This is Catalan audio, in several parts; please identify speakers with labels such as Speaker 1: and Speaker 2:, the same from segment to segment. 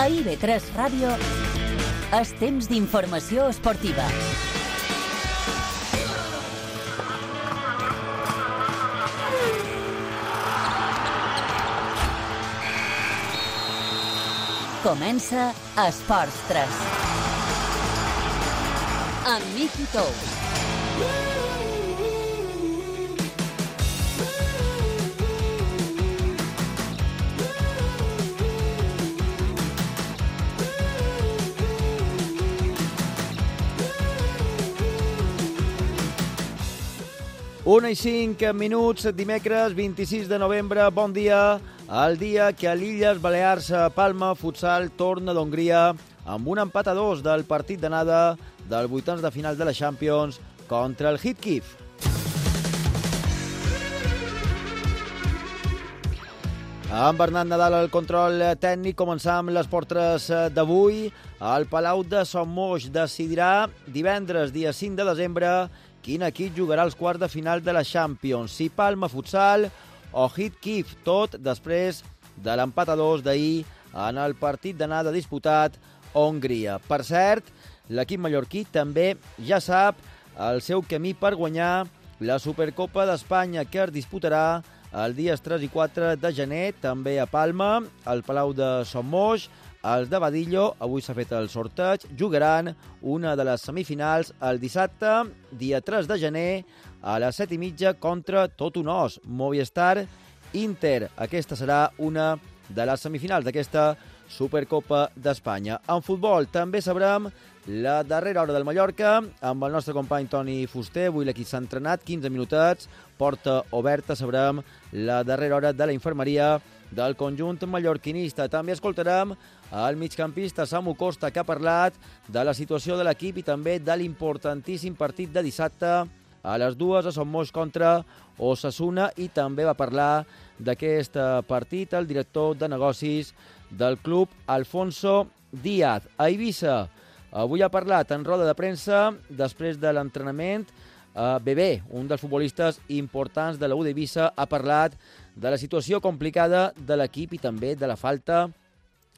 Speaker 1: A IB3 Ràdio és temps d'informació esportiva. Comença Esports 3. Amb Miqui Tous.
Speaker 2: Una i 5 minuts, dimecres 26 de novembre, bon dia. El dia que a l'Illes Balears Palma Futsal torna d'Hongria amb un empat a 2 del partit d'anada del vuitens de final de la Champions contra el Hit Kyiv. Amb Bernat Nadal al control tècnic, començam les portes d'avui. El Palau de Son Moix decidirà divendres, dia 5 de desembre, quin equip jugarà als quarts de final de la Champions, si Palma Futsal o Hit Kyiv, tot després de l'empat a 2 d'ahir en el partit d'anada disputat a Hongria. Per cert, l'equip mallorquí també ja sap el seu camí per guanyar la Supercopa d'Espanya, que es disputarà els dies 3 i 4 de gener, també a Palma, al Palau de Son Moix. Els de Badillo, avui s'ha fet el sorteig, jugaran una de les semifinals el dissabte, dia 3 de gener, a les 7:30 contra tot un os, Movistar Inter. Aquesta serà una de les semifinals d'aquesta Supercopa d'Espanya. En futbol també sabrem la darrera hora del Mallorca amb el nostre company Toni Fuster. Avui l'equip s'ha entrenat, 15 minutets, porta oberta, sabrem la darrera hora de la infermeria del conjunt mallorquinista. També escoltarem el migcampista Samu Costa, que ha parlat de la situació de l'equip i també de l'importantíssim partit de dissabte a les 2 a Son Moix contra Osasuna, i també va parlar d'aquest partit el director de negocis del club, Alfonso Díaz. A Eivissa avui ha parlat en roda de premsa després de l'entrenament. Bebé, un dels futbolistes importants de la U d'Eivissa, ha parlat de la situació complicada de l'equip i també de la falta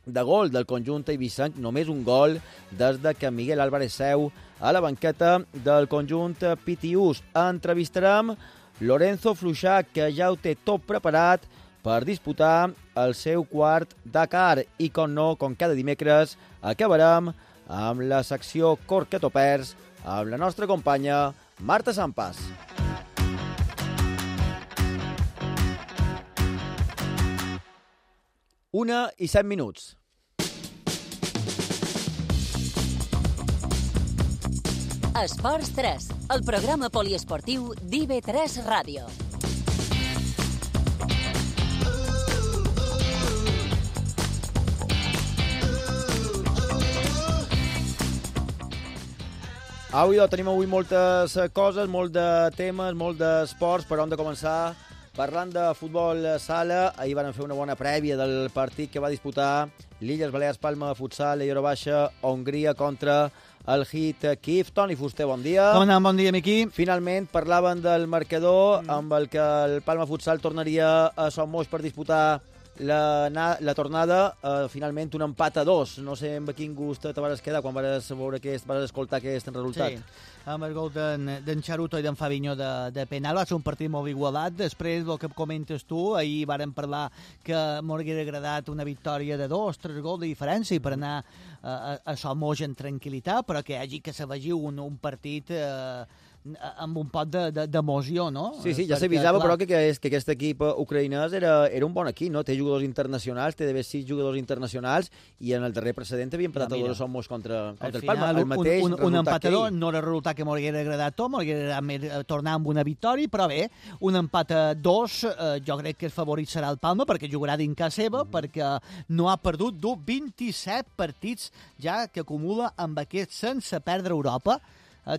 Speaker 2: de gol del conjunt eivissenc. Només un gol des que Miguel Álvarez seu a la banqueta del conjunt pitiús. Entrevistarem Lorenzo Fluixà, que ja ho té tot preparat per disputar el seu quart Dakar. I, com no, com cada dimecres, acabarem amb la secció Corquetopers amb la nostra companya Marta Sampas. Una i 7 minuts.
Speaker 1: Esports 3, el programa poliesportiu d'IB3 Ràdio.
Speaker 2: Tenim avui moltes coses, molt de temes, molt d'esports, però hem de començar parlant de futbol sala. Ahir van fer una bona prèvia del partit que va disputar l'Illes Balears Palma Futsal i Eurobaixa Hongria contra el Hit Kyiv. Toni Fuster, bon dia.
Speaker 3: Com anem? Bon dia, Miqui.
Speaker 2: Finalment parlaven del marcador amb el que el Palma Futsal tornaria a Son Moix per disputar la tornada. Finalment un empat a 2. No sé amb quin gust te vas quedar quan vas escoltar aquest resultat.
Speaker 3: Sí, amb el gol d'en Charuto i d'en Fabinho de penal. Va ser un partit molt igualat. Després, el que comentes tu, ahir vàrem parlar que m'hauria agradat una victòria de 2-3 gols de diferència per anar a Son Moix en tranquil·litat, però que hi hagi que s'afegiu un partit amb un pot d'emoció, no?
Speaker 2: Sí, ja s'avisava, però que aquest equip ucraïnès era un bon equip, no? Té jugadors internacionals, té d'haver 6 jugadors internacionals, i en el darrer precedent havia empatat a 2 Son Moix contra el Palma. El mateix
Speaker 3: un empatador no era el resultat que m'hauria agradat tot, m'hauria agradat tornar amb una victòria, però bé, un empat a 2, jo crec que el favorit serà el Palma, perquè jugarà dins casa seva, perquè no ha perdut 27 partits ja que acumula amb aquest sense perdre Europa,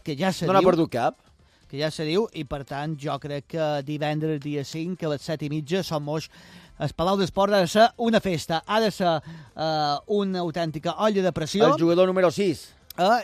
Speaker 3: que ja se diu...
Speaker 2: No n'ha perdut cap.
Speaker 3: Que ja se diu, i per tant jo crec que divendres dia 5 a les 7:30 Son Moix, el Palau d'Esport ha de ser una festa, ha de ser una autèntica olla de pressió.
Speaker 2: El jugador número 6.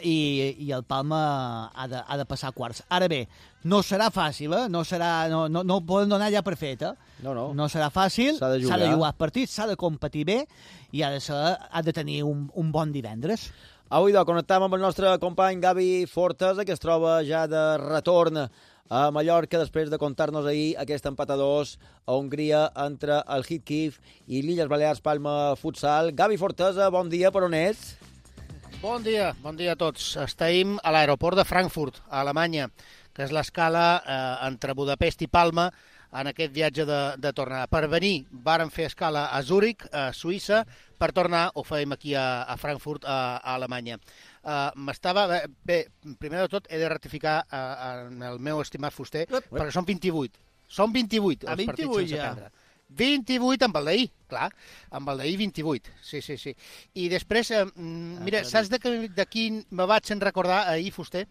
Speaker 3: i el Palma ha de passar quarts. Ara bé, no serà fàcil, no ho poden donar ja per fet. No serà fàcil, s'ha de jugar partits, s'ha de competir bé i ha de tenir un bon divendres.
Speaker 2: Avui connectam amb el nostre company Gavi Fortesa, que es troba ja de retorn a Mallorca després de contar-nos ahir aquest empat a 2 a Hongria entre el Hit Kiev i l'Illes Balears Palma Futsal. Gavi Fortesa, bon dia, per on ets?
Speaker 4: Bon dia a tots. Estem a l'aeroport de Frankfurt, a Alemanya, que és l'escala entre Budapest i Palma en aquest viatge de tornada. Per venir, vàrem fer escala a Zúrich, a Suïssa, per tornar, ho fèiem aquí a Frankfurt, a Alemanya. Bé, primer de tot he de ratificar el meu estimat fuster, perquè són 28. Són 28 els partits sense perdre. 28 amb el d'ahir, clar, amb el d'ahir 28, sí. I després, mira, saps de quin me vaig recordar ahir, Fuster?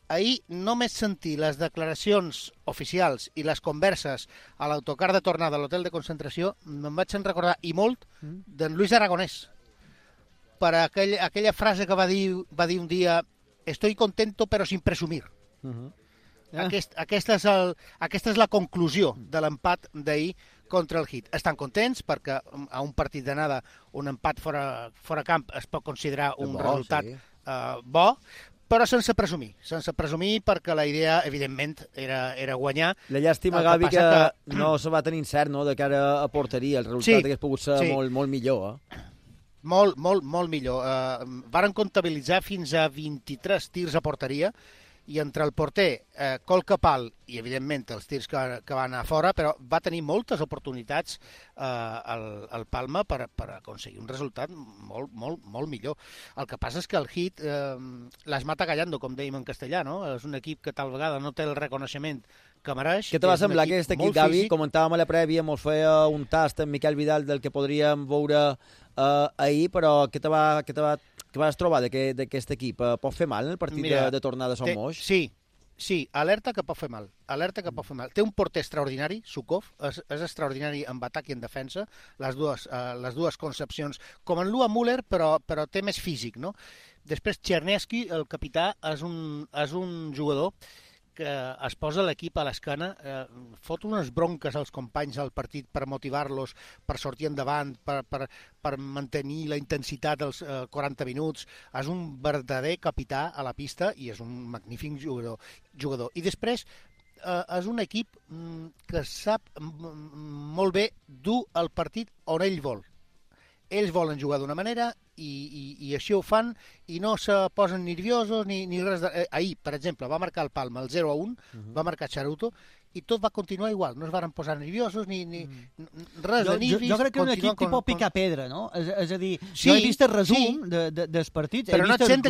Speaker 4: Ahir només sentir les declaracions oficials i les converses a l'autocar de tornada a l'hotel de concentració, me'n vaig recordar, i molt, d'en Luis Aragonès, per aquella frase que va dir un dia «Estoy contento però sin presumir». Aquesta és la conclusió de l'empat d'ahir contra el Hit. Estan contents perquè a un partit d'anada un empat fora camp es pot considerar un resultat bo, però sense presumir perquè la idea, evidentment, era guanyar.
Speaker 2: La llàstima, Gavi, que no se va tenir cert, no?, de cara a porteria. El resultat hauria pogut ser molt millor,
Speaker 4: Molt millor. Varen comptabilitzar fins a 23 tirs a porteria, i entre el porter, Col Capal i, evidentment, els tirs que van anar fora, però va tenir moltes oportunitats el Palma per aconseguir un resultat molt millor. El que passa és que el Hit les mata callando, com dèiem en castellà, no? És un equip que tal vegada no té el reconeixement que mereix.
Speaker 2: Què te va semblar aquest equip, Gavi? Comentàvem a la prèvia, mos feia un tast amb Miquel Vidal del que podríem veure ahir, però què vas trobar d'aquest equip? Pot fer mal en el partit de tornada a Son Moix?
Speaker 4: Sí, alerta que pot fer mal. Té un porter extraordinari, Sukov, és extraordinari en atac i en defensa, les dues concepcions, com en Lua Müller, però té més físic, no? Després, Czerniewski, el capità, és un jugador que es posa l'equip a l'esquena, fot unes bronques als companys al partit per motivar-los, per sortir endavant, per mantenir la intensitat dels 40 minuts. És un verdader capità a la pista i és un magnífic jugador. I després és un equip que sap molt bé dur el partit on ell vol. Ells volen jugar d'una manera i així ho fan i no se posen nerviosos ni res. Ahir, per exemple, va marcar el Palma el 0-1, va marcar Charuto i tot va continuar igual. No es varen posar nerviosos ni res de nervis.
Speaker 3: Jo crec que un equip tipus picar-pedra, no? És a dir, jo he vist el resum dels partits.
Speaker 4: Però no et sents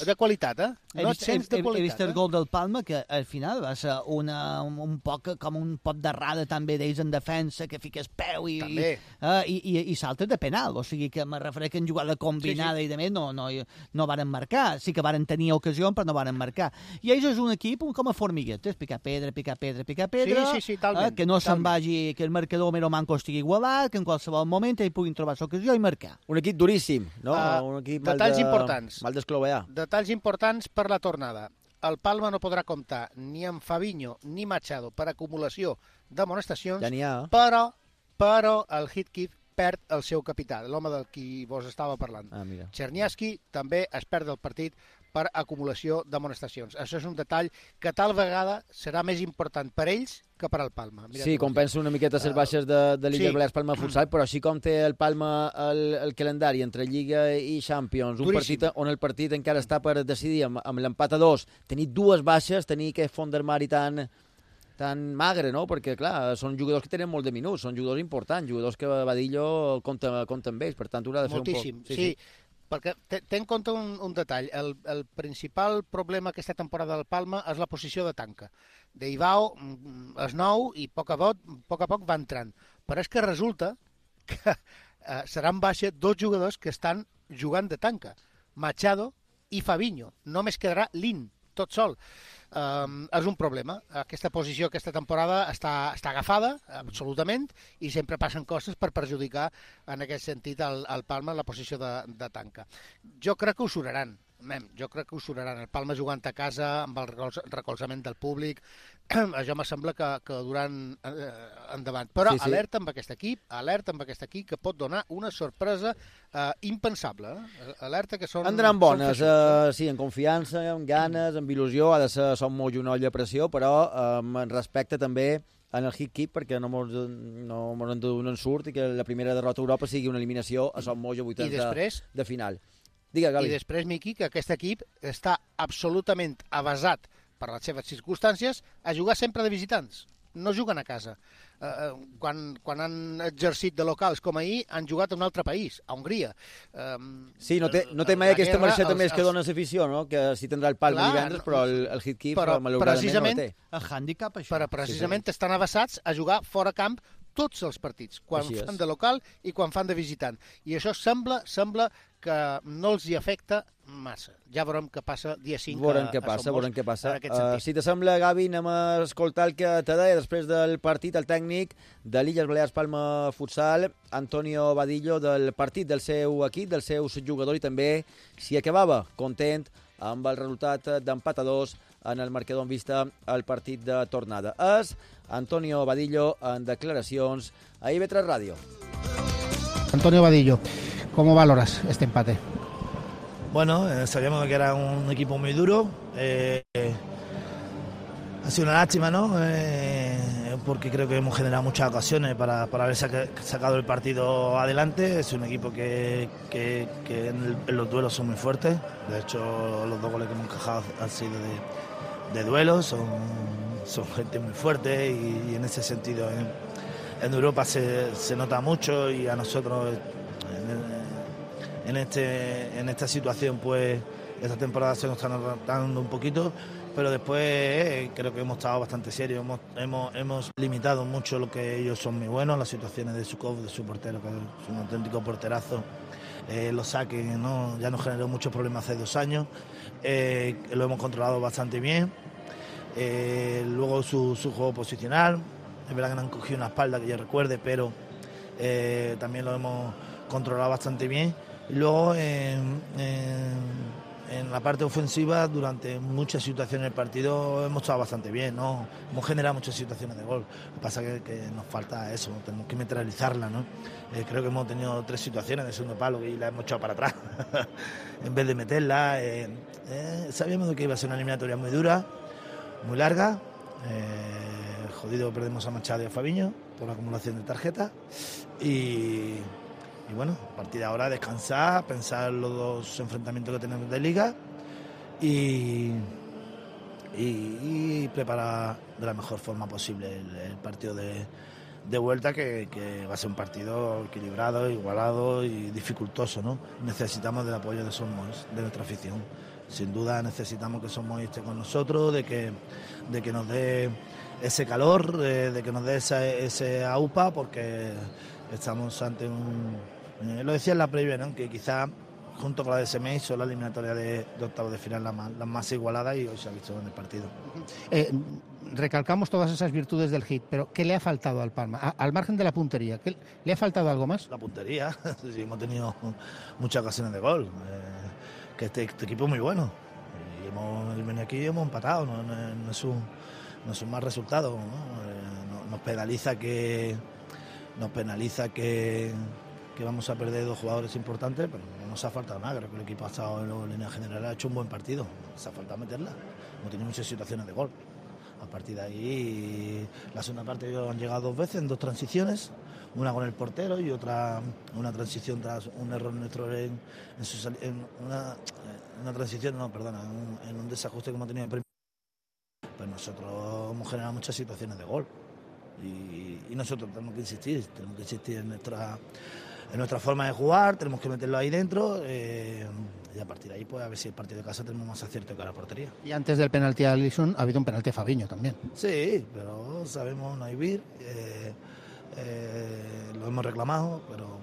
Speaker 4: de qualitat, He
Speaker 3: vist el gol del Palma, que al final va ser un poc com un pot d'errada també d'ells en defensa, que fiques peu i saltes de penal. O sigui que me refereix que en jugada combinada i de més no varen marcar. Sí que varen tenir ocasió, però no varen marcar. I ells és un equip com a formiguetes, picar pedra, que no se'n vagi, que el marcador mero manco estigui igualat, que en qualsevol moment ells puguin trobar l'ocasió i marcar.
Speaker 2: Un equip duríssim, no? Un equip mal d'esclovear.
Speaker 4: Detalls importants per la tornada. El Palma no podrà comptar ni amb Fabinho ni Machado per acumulació d'amonestacions, però el Hit Kiev perd el seu capità, l'home del qui vos estava parlant. Czerniewski també es perd el partit per acumulació d'amonestacions. Això és un detall que tal vegada serà més important per ells que per al Palma.
Speaker 2: Sí, compensa una miqueta les baixes de l'Illes Balears Palma Futsal, però així com té el Palma el calendari entre Lliga i Champions, un partit on el partit encara està per decidir amb l'empat a 2, tenir dues baixes, tenir aquest fons d'armari tan magre, no? Perquè, clar, són jugadors que tenen molt de minuts, són jugadors importants, jugadors que Badillo compta amb ells, per tant, haurà de fer
Speaker 4: moltíssim, un poc. Sí. Perquè té en compte un detall. El principal problema aquesta temporada del Palma és la posició de tanca. Deivao és nou i a poc a poc va entrant. Però és que resulta que seran baixa dos jugadors que estan jugant de tanca, Machado i Fabinho. Només quedarà Lin, tot sol. És un problema. Aquesta posició aquesta temporada està agafada, absolutament, i sempre passen coses per perjudicar en aquest sentit al Palma en la posició de tanca. Jo crec que ho suraran. Jo crec que ho sonaran. El Palma jugant a casa, amb el recolzament del públic, això me sembla que duran endavant. Però sí. Alerta amb aquest equip que pot donar una sorpresa impensable. Alerta que són...
Speaker 2: Entraran bones, sí, en confiança, amb ganes, amb il·lusió. Ha de ser som molt una olla a pressió, però amb respecte també en el hit keep, perquè no en surt i que la primera derrota a Europa sigui una eliminació a Som Moix a 80 de final. Digue, Gali.
Speaker 4: I després, Miqui, que aquest equip està absolutament avasat per les seves circumstàncies a jugar sempre de visitants. No juguen a casa. Quan han exercit de locals com ahir, han jugat a un altre país, a Hongria.
Speaker 2: Sí, no té mai aquesta marxeta més que dona l'afició, no? Que sí tindrà el Palma divendres, però el hit keep malauradament no el té.
Speaker 3: El hàndicap, això.
Speaker 4: Però precisament estan avasats a jugar fora camp tots els partits, quan fan de local i quan fan de visitant. I això sembla que no els hi afecta massa. Ja veurem què passa dia 5
Speaker 2: veurem què passa. Si te sembla, Gavi, anem a escoltar el que te deia després del partit, el tècnic de l'Illes Balears Palma Futsal, Antonio Badillo, del partit del seu equip, del seu jugador, i també s'hi acabava content amb el resultat d'empat a 2 en el marcador en vista al partit de tornada. És Antonio Badillo en declaracions a IB3 Radio.
Speaker 5: Antonio Badillo, ¿cómo valoras este empate?
Speaker 6: Bueno, sabíamos que era un equipo muy duro. Ha sido una lástima, ¿no? Porque creo que hemos generado muchas ocasiones para haber sacado el partido adelante. Es un equipo que en los duelos son muy fuertes. De hecho, los 2 goles que hemos encajado han sido de duelos. Son gente muy fuerte y en ese sentido en Europa se nota mucho, y a nosotros en esta situación, pues esta temporada se nos está notando un poquito, pero después creo que hemos estado bastante serios, hemos limitado mucho lo que ellos son muy buenos, las situaciones de Sukov, de su portero, que es un auténtico porterazo. Los saques, ¿no? Ya nos generó muchos problemas hace 2 años, lo hemos controlado bastante bien. Luego su juego posicional, es verdad que no han cogido una espalda que yo recuerde, pero también lo hemos controlado bastante bien. Y luego en la parte ofensiva, durante muchas situaciones del partido hemos estado bastante bien, ¿no? Hemos generado muchas situaciones de gol. Lo que pasa es que nos falta eso, tenemos que neutralizarla, ¿no? Creo que hemos tenido 3 situaciones de segundo palo y las hemos echado para atrás en vez de meterla. Sabíamos que iba a ser una eliminatoria muy dura, muy larga. Jodido, perdemos a Machado y a Fabiño por acumulación de tarjetas. Y bueno, a partir de ahora descansar, pensar los 2 enfrentamientos que tenemos de liga y preparar de la mejor forma posible el partido de vuelta, que va a ser un partido equilibrado, igualado y dificultoso, ¿no? Necesitamos del apoyo de Som Moix, de nuestra afición. Sin duda necesitamos que Som Moix esté con nosotros, de que nos dé ese calor, de que nos dé ese AUPA, porque estamos ante lo decía en la previa, ¿no? Que quizá junto con la de Semei son la eliminatoria de octavos de final las más igualadas, y hoy se ha visto en el partido.
Speaker 5: Recalcamos todas esas virtudes del hit, pero ¿qué le ha faltado al Palma? Al margen de la puntería, ¿le ha faltado algo más?
Speaker 6: La puntería, sí, hemos tenido muchas ocasiones de gol, que este equipo es muy bueno, y hemos venido aquí y hemos empatado, no es un mal resultado, ¿no? Nos penaliza que vamos a perder 2 jugadores importantes, pero no nos ha faltado nada. Creo que el equipo ha estado en línea general, ha hecho un buen partido, nos ha faltado meterla. Hemos tenido muchas situaciones de gol. A partir de ahí, la segunda parte han llegado 2 veces en 2 transiciones, una con el portero y otra una transición tras un error nuestro en un desajuste que hemos tenido en primer. Pues nosotros hemos generado muchas situaciones de gol y nosotros tenemos que insistir en nuestra forma de jugar, tenemos que meterlo ahí dentro, y a partir de ahí, pues a ver si el partido de casa tenemos más acierto que la portería.
Speaker 5: Y antes del penalti a Alisson ha habido un penalti a Fabiño también.
Speaker 6: Sí, pero sabemos no vivir, lo hemos reclamado, pero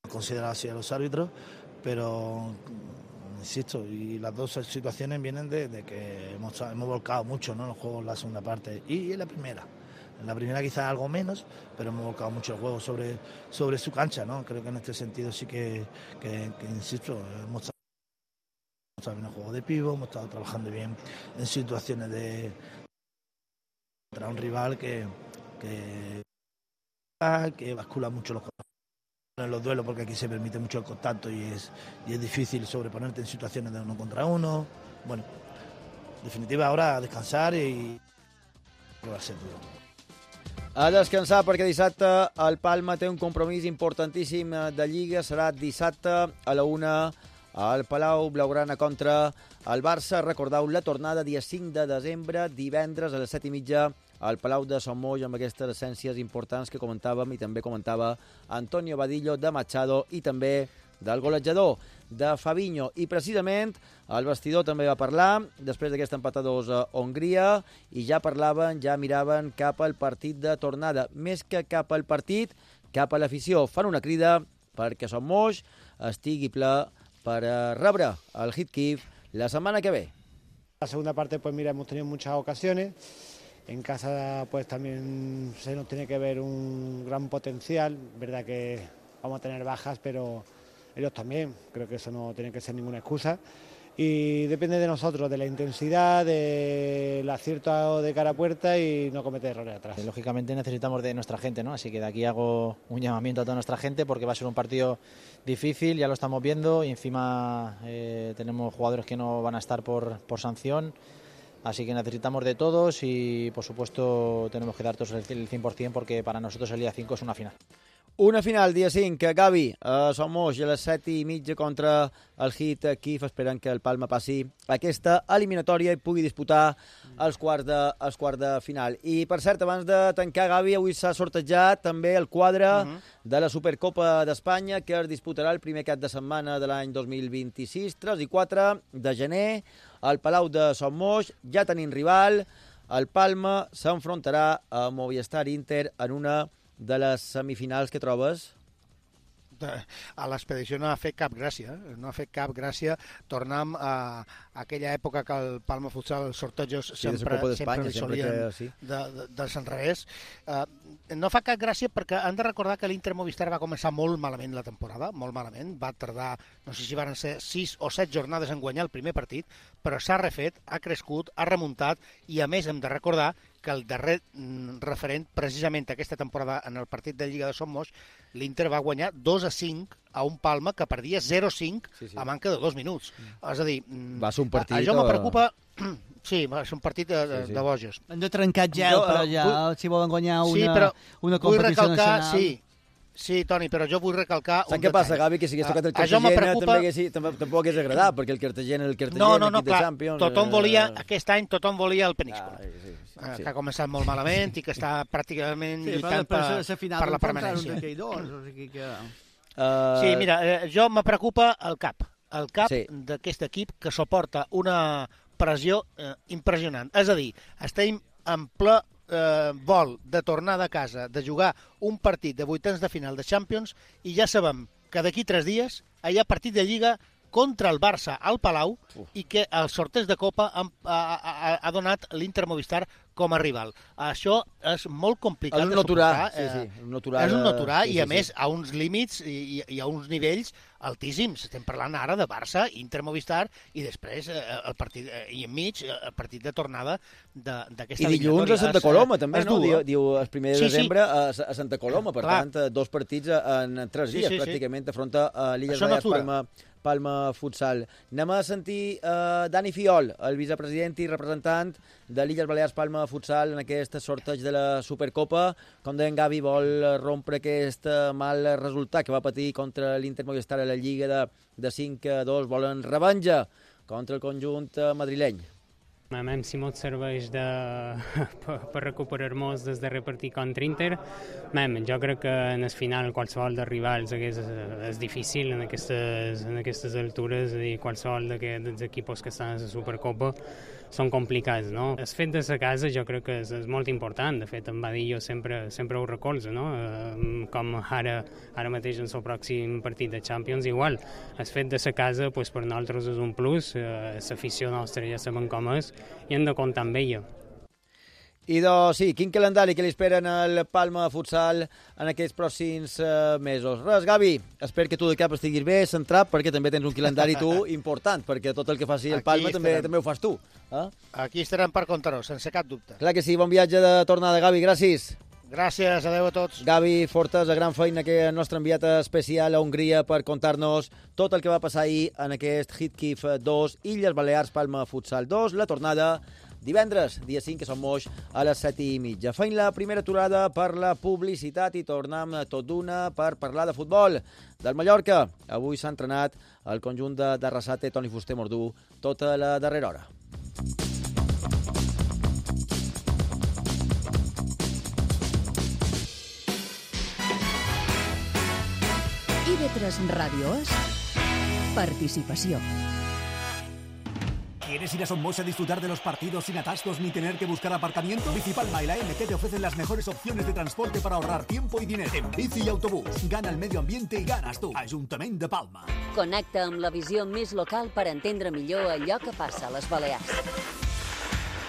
Speaker 6: considerado así a los árbitros, pero insisto, y las 2 situaciones vienen de que hemos volcado mucho, ¿no? Los juegos en la segunda parte y en la primera. En la primera quizás algo menos, pero hemos volcado mucho el juego sobre su cancha, ¿no? Creo que en este sentido sí que insisto, hemos estado bien en juego de pivo, hemos estado trabajando bien en situaciones de contra un rival que bascula mucho en los duelos, porque aquí se permite mucho el contacto y es difícil sobreponerte en situaciones de 1 contra 1. Bueno, en definitiva ahora a descansar y va a ser duro.
Speaker 2: A descansar perquè dissabte el Palma té un compromís importantíssim de Lliga. Serà dissabte a la 1 al Palau Blaugrana contra el Barça. Recordeu la tornada dia 5 de desembre, divendres a les 7:30 al Palau de Sant Moix, amb aquestes essències importants que comentàvem i també comentava Antonio Vadillo de Machado i també del golejador de Fabinho. I precisament el vestidor també va parlar després d'aquest empat a 2 a Hongria i ja parlaven, ja miraven cap al partit de tornada. Més que cap al partit, cap a l'afició. Fan una crida perquè Sant Moix estigui ple per rebre el Heathkliff la setmana que ve.
Speaker 7: La segunda parte, pues mira, hemos tenido muchas ocasiones. En casa, pues también se nos tiene que ver un gran potencial. Verdad que vamos a tener bajas, pero ellos también. Creo que eso no tiene que ser ninguna excusa. Y depende de nosotros, de la intensidad, del acierto de cara a puerta y no cometer errores atrás.
Speaker 8: Lógicamente necesitamos de nuestra gente, ¿no? Así que de aquí hago un llamamiento a toda nuestra gente porque va a ser un partido difícil, ya lo estamos viendo, y encima tenemos jugadores que no van a estar por sanción. Así que necesitamos de todos y, por supuesto, tenemos que dar todos el 100% porque para nosotros el día 5 es una final.
Speaker 2: Una final, dia 5, Gavi, a Sant Moix, a les 7:30 contra el Heathkliff. Esperen que el Palma passi aquesta eliminatòria i pugui disputar els quarts de final. I, per cert, abans de tancar, Gavi, avui s'ha sortejat també el quadre de la Supercopa d'Espanya, que es disputarà el primer cap de setmana de l'any 2026, 3 i 4 de gener, al Palau de Sant Moix. Ja tenim rival, el Palma s'enfrontarà a Movistar Inter en una de les semifinals. Que trobes?
Speaker 4: A l'expedició no ha fet cap gràcia, no ha fet cap gràcia. Tornem a aquella època que el Palma Futsal, els sortejos sempre li solien dels enrevés. No fa cap gràcia perquè han de recordar que l'Inter Movistar va començar molt malament la temporada, molt malament, va tardar, no sé si van ser 6 o 7 jornades en guanyar el primer partit, però s'ha refet, ha crescut, ha remuntat, i a més hem de recordar que el darrer referent, precisament aquesta temporada en el partit de Lliga de Sant Moix, l'Inter va guanyar 2-5 a un Palma que perdia 0-5 a manca de 2 minuts. És a dir,
Speaker 2: va ser un partit,
Speaker 4: això me preocupa. Sí, va ser un partit de bojos.
Speaker 3: Hem de trencar gel, però ja, si volen guanyar una competició nacional.
Speaker 4: Sí, Toni, però jo vull recalcar un detall.
Speaker 2: Saps què passa, Gavi? Que si hagués tocat el Cartagena tampoc hagués agradat, perquè el Cartagena,
Speaker 4: no, clar, tothom volia, aquest any tothom volia el Peníscola, que ha començat molt malament i que està pràcticament lluitant per la permanència. Sí, mira, jo me preocupa el cap d'aquest equip, que suporta una pressió impressionant. És a dir, estem en ple vol de tornar de casa, de jugar un partit de vuitens de final de Champions, i ja sabem que d'aquí 3 dies hi ha partit de Lliga contra el Barça al Palau i que el sorteig de Copa ha donat l'Inter Movistar com a rival. Això és molt complicat de suportar. És un noturà i, a més, a uns límits i a uns nivells altíssims. Estem parlant ara de Barça, Inter Movistar i després el partit i enmig el partit de tornada d'aquesta eliminatòria.
Speaker 2: I dilluns a Santa Coloma, també, no? Diu el 1 de desembre a Santa Coloma. Per tant, 2 partits en 3 dies, pràcticament, afronta l'Illes Balears Palma Futsal. Anem a sentir Dani Fiol, el vicepresident i representant de l'Illes Balears Palma Futsal en aquest sorteig de la Supercopa. Com deia en Gavi, vol rompre aquest mal resultat que va patir contra l'Inter Movistar a la Lliga de 5-2. Volen revenja contra el conjunt madrileny.
Speaker 9: A mi si mos serveix per recuperar-nos des del darrer partit contra Inter, jo crec que en el final qualsevol dels rivals és difícil en aquestes altures, és a dir, qualsevol dels equips que estan a la Supercopa són complicats, no? El fet de la casa jo crec que és molt important. De fet, en Vadillo sempre ho recolza, no? Com ara mateix en el pròxim partit de Champions, igual. El fet de la casa, per nosaltres és un plus, l'afició nostra ja sabem com és, i hem de comptar amb ella.
Speaker 2: sí, quin calendari que li esperen al Palma Futsal en aquests pròxims mesos? Res, Gavi, espero que tu de cap estiguis bé, centrat, perquè també tens un calendari tu important, perquè tot el que faci el Palma també ho fas tu.
Speaker 4: Aquí estarem per contar-ho, sense cap dubte.
Speaker 2: Clar que sí, bon viatge de tornada, Gavi, gràcies.
Speaker 4: Gràcies, adeu a tots.
Speaker 2: Gavi Fortes, gran feina que el nostre enviat especial a Hongria per contar-nos tot el que va passar ahir en aquest Hitkif 2, Illes Balears, Palma Futsal 2, la tornada divendres, dia 5, que som moix, a les 7:30. Feim la primera aturada per la publicitat i tornem tot d'una per parlar de futbol. Del Mallorca, avui s'ha entrenat el conjunt de Arrasate, Toni Fuster Mordú, tota la darrera hora.
Speaker 1: IB3 Radio es participació.
Speaker 10: ¿Quieres ir a Somos a disfrutar de los partidos sin atascos ni tener que buscar aparcamiento? Bicipalma y la MT te ofrecen las mejores opciones de transporte para ahorrar tiempo y dinero. En bici y autobús, gana el medio ambiente y ganas tú. Ajuntament de Palma.
Speaker 1: Connecta amb la visió més local per entendre millor allò que passa a les Balears.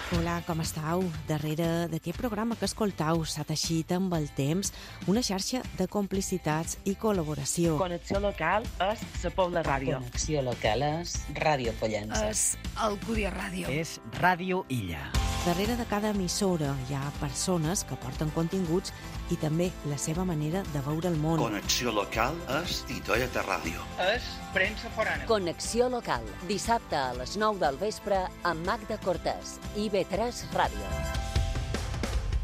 Speaker 11: Hola, com estàu? Darrere d'aquest programa que escoltau s'ha teixit amb el temps una xarxa de complicitats i col·laboració.
Speaker 12: Connexió local és la Pobla Ràdio.
Speaker 13: Connexió local és Ràdio Pollença.
Speaker 12: És Alcúdia Ràdio.
Speaker 13: És Ràdio Illa.
Speaker 11: Darrere de cada emissora hi ha persones que porten continguts i també la seva manera de veure el món.
Speaker 14: Connexió local és Titoieta Ràdio.
Speaker 12: És premsa forana.
Speaker 1: Connexió local, dissabte a les 9 del vespre amb Magda Cortés, IB3 Ràdio.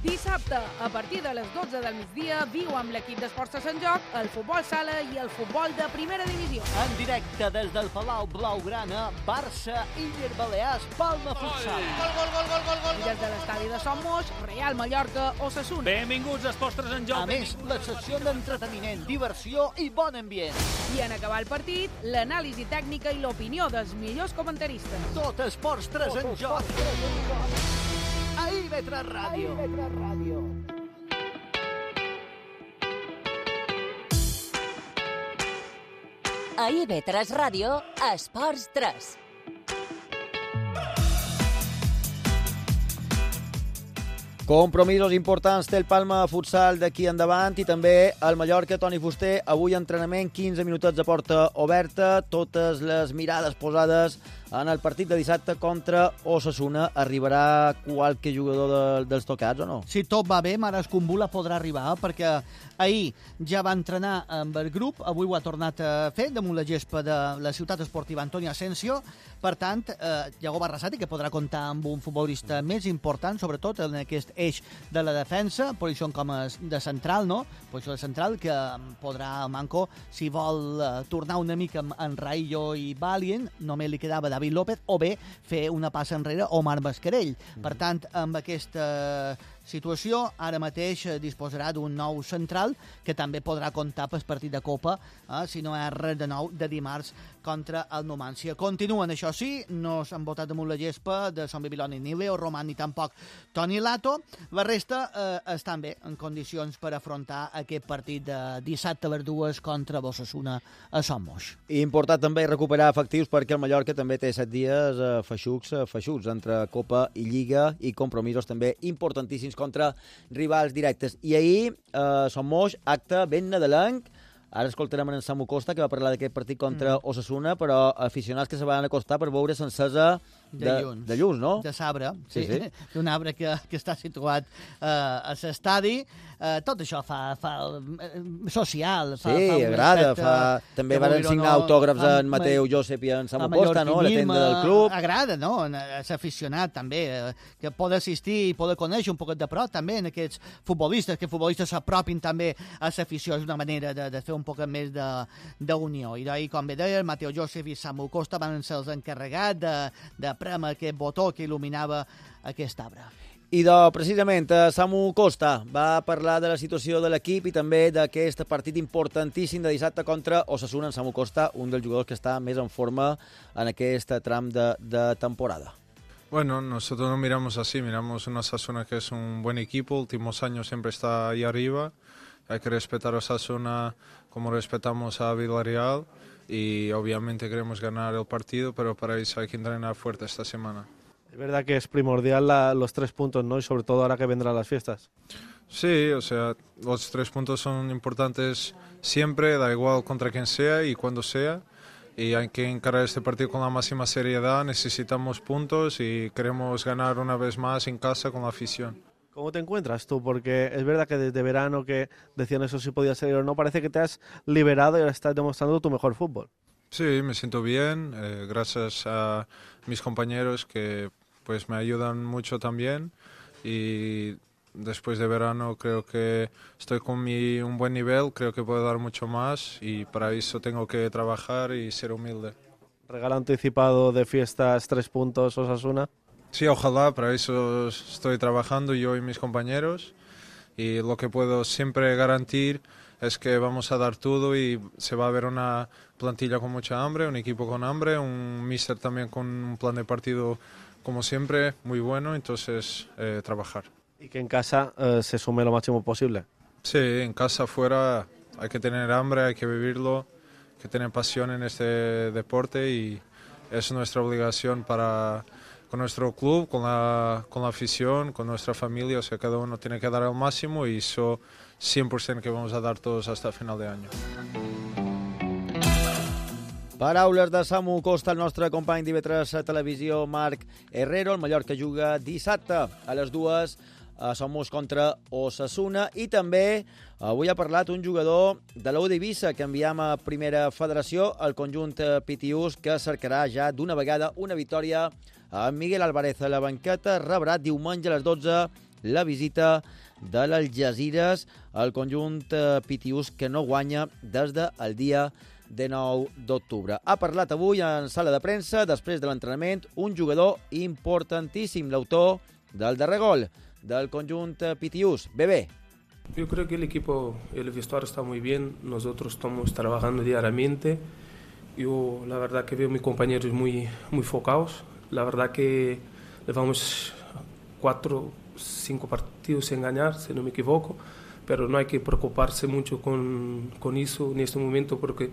Speaker 15: Dissabte, a partir de les 12 del migdia, viu amb l'equip d'Esports de Sant Joc el futbol sala i el futbol de primera divisió.
Speaker 3: En directe des del Palau Blaugrana, Barça, Illes Balears, Palma Futsal.
Speaker 15: I des de l'estadi de Som Moix, Real Mallorca, Osasuna.
Speaker 16: Benvinguts a Esports de Sant Joc.
Speaker 3: A més, la secció d'entreteniment, diversió i bon ambient.
Speaker 15: I en acabar el partit, l'anàlisi tècnica i l'opinió dels millors comentaristes.
Speaker 3: Tot Esports 3 en joc. A IB3 Ràdio.
Speaker 1: A IB3 Ràdio, Esports 3.
Speaker 2: Compromisos importants té el Palma Futsal d'aquí endavant i també el Mallorca, Toni Fuster. Avui entrenament, 15 minutets de porta oberta, totes les mirades posades en el partit de dissabte contra Osasuna. Arribarà qualque jugador dels tocats o no?
Speaker 3: Si tot va bé, Mares Kumbula podrà arribar, perquè ahir ja va entrenar amb el grup, avui ho ha tornat a fer damunt la gespa de la ciutat esportiva Antonio Asensio. Per tant, Iago Barrasati, que podrà comptar amb un futbolista més important, sobretot en aquest eix de la defensa, posició com a de central, no? Posició de central que podrà Manco, si vol tornar una mica en Raillo i Valient, només li quedava David López, o bé fer una passa enrere Omar Mascarell. Per tant, amb aquesta situació, ara mateix disposarà d'un nou central que també podrà comptar pel partit de Copa, si no és res de nou, de dimarts contra el Numancia. Continuen, això sí, no s'han votat damunt la gespa de Son Bibiloni ni Leo Roman ni tampoc Toni Lato. La resta estan bé en condicions per afrontar aquest partit de dissabte a les 2 contra Osasuna a Son Moix.
Speaker 2: Important també recuperar efectius perquè el Mallorca també té 7 dies feixucs entre Copa i Lliga i compromisos també importantíssims contra rivals directes. I ahir, Som Moix, acte ben nadalenc. Ara escoltarem en Samu Costa, que va parlar d'aquest partit contra Osasuna, però aficionats que se van acostar per veure s'encesa de llums, no?
Speaker 3: De sabre, sí.
Speaker 2: Sí.
Speaker 3: D'un arbre que està situat a l'estadi. Tot això fa social.
Speaker 2: Sí, agrada. També van signar autògrafs en Mateu Josep i en Samu Costa, no? A la tenda del club.
Speaker 3: Agrada, no? S'aficionat, també, que pot assistir i pot conèixer un poquet de prop, també, en aquests futbolistes, que futbolistes s'apropin també a l'afició. És una manera de fer un poquet més d'unió. I d'ahir, com bé deia, el Mateu Josep i Samu Costa van ser els encarregats de prémer aquest botó que il·luminava aquest arbre.
Speaker 2: I precisament, Samu Costa va parlar de la situació de l'equip i també d'aquest partit importantíssim de dissabte contra Osasuna. En Samu Costa, un dels jugadors que està més en forma en aquest tram de temporada.
Speaker 17: Bueno, nosotros no miramos así, miramos una Osasuna que es un buen equipo, últimos años siempre está ahí arriba. Hay que respetar a Osasuna como respetamos a Villarreal y obviamente queremos ganar el partido, pero para eso hay que entrenar fuerte esta semana.
Speaker 16: Es verdad que es primordial los 3 puntos, ¿no? Y sobre todo ahora que vendrán las fiestas.
Speaker 17: Sí, o sea, los 3 puntos son importantes siempre, da igual contra quien sea y cuando sea. Y hay que encarar este partido con la máxima seriedad, necesitamos puntos y queremos ganar una vez más en casa con la afición.
Speaker 16: ¿Cómo te encuentras tú? Porque es verdad que desde verano que decían eso si podía ser o no, parece que te has liberado y ahora estás demostrando tu mejor fútbol.
Speaker 17: Sí, me siento bien, gracias a mis compañeros que pues me ayudan mucho también y después de verano creo que estoy con un buen nivel, creo que puedo dar mucho más y para eso tengo que trabajar y ser humilde.
Speaker 16: ¿Regalo anticipado de fiestas 3 puntos Osasuna?
Speaker 17: Sí, ojalá, para eso estoy trabajando yo y mis compañeros y lo que puedo siempre garantir es que vamos a dar todo y se va a ver una plantilla con mucha hambre, un equipo con hambre, un míster también con un plan de partido como siempre muy bueno, entonces trabajar.
Speaker 16: Y que en casa se sume lo máximo posible.
Speaker 17: Sí, en casa, fuera, hay que tener hambre, hay que vivirlo, hay que tener pasión en este deporte y es nuestra obligación con nuestro club, con la afición, con nuestra familia, o sea, cada uno tiene que dar el máximo y eso 100% que vamos a dar todos hasta final de año.
Speaker 2: Paraules de Samu Costa, el nostre company d'IV3 Televisió, Marc Herrero. El Mallorca juga dissabte a les 2 a Somos contra Osasuna. I també avui ha parlat un jugador de l'U d'Eivissa que enviam a Primera Federació, el conjunt pitiús, que cercarà ja d'una vegada una victòria amb Miguel Álvarez a la banqueta. Rebrà diumenge a les 12 la visita de l'Algesires, el conjunt pitiús que no guanya des del dia de 9 d'octubre. Ha parlat avui en sala de premsa, després de l'entrenament, un jugador importantíssim, l'autor del darrer gol del conjunt pitiús. Bebé.
Speaker 18: Yo creo que el equipo, el vestuario está muy bien, nosotros estamos trabajando diariamente. Yo la verdad que veo a mis compañeros muy focados, la verdad que llevamos 4 5 partidos sin ganar, si no me equivoco, pero no hay que preocuparse mucho con eso en este momento porque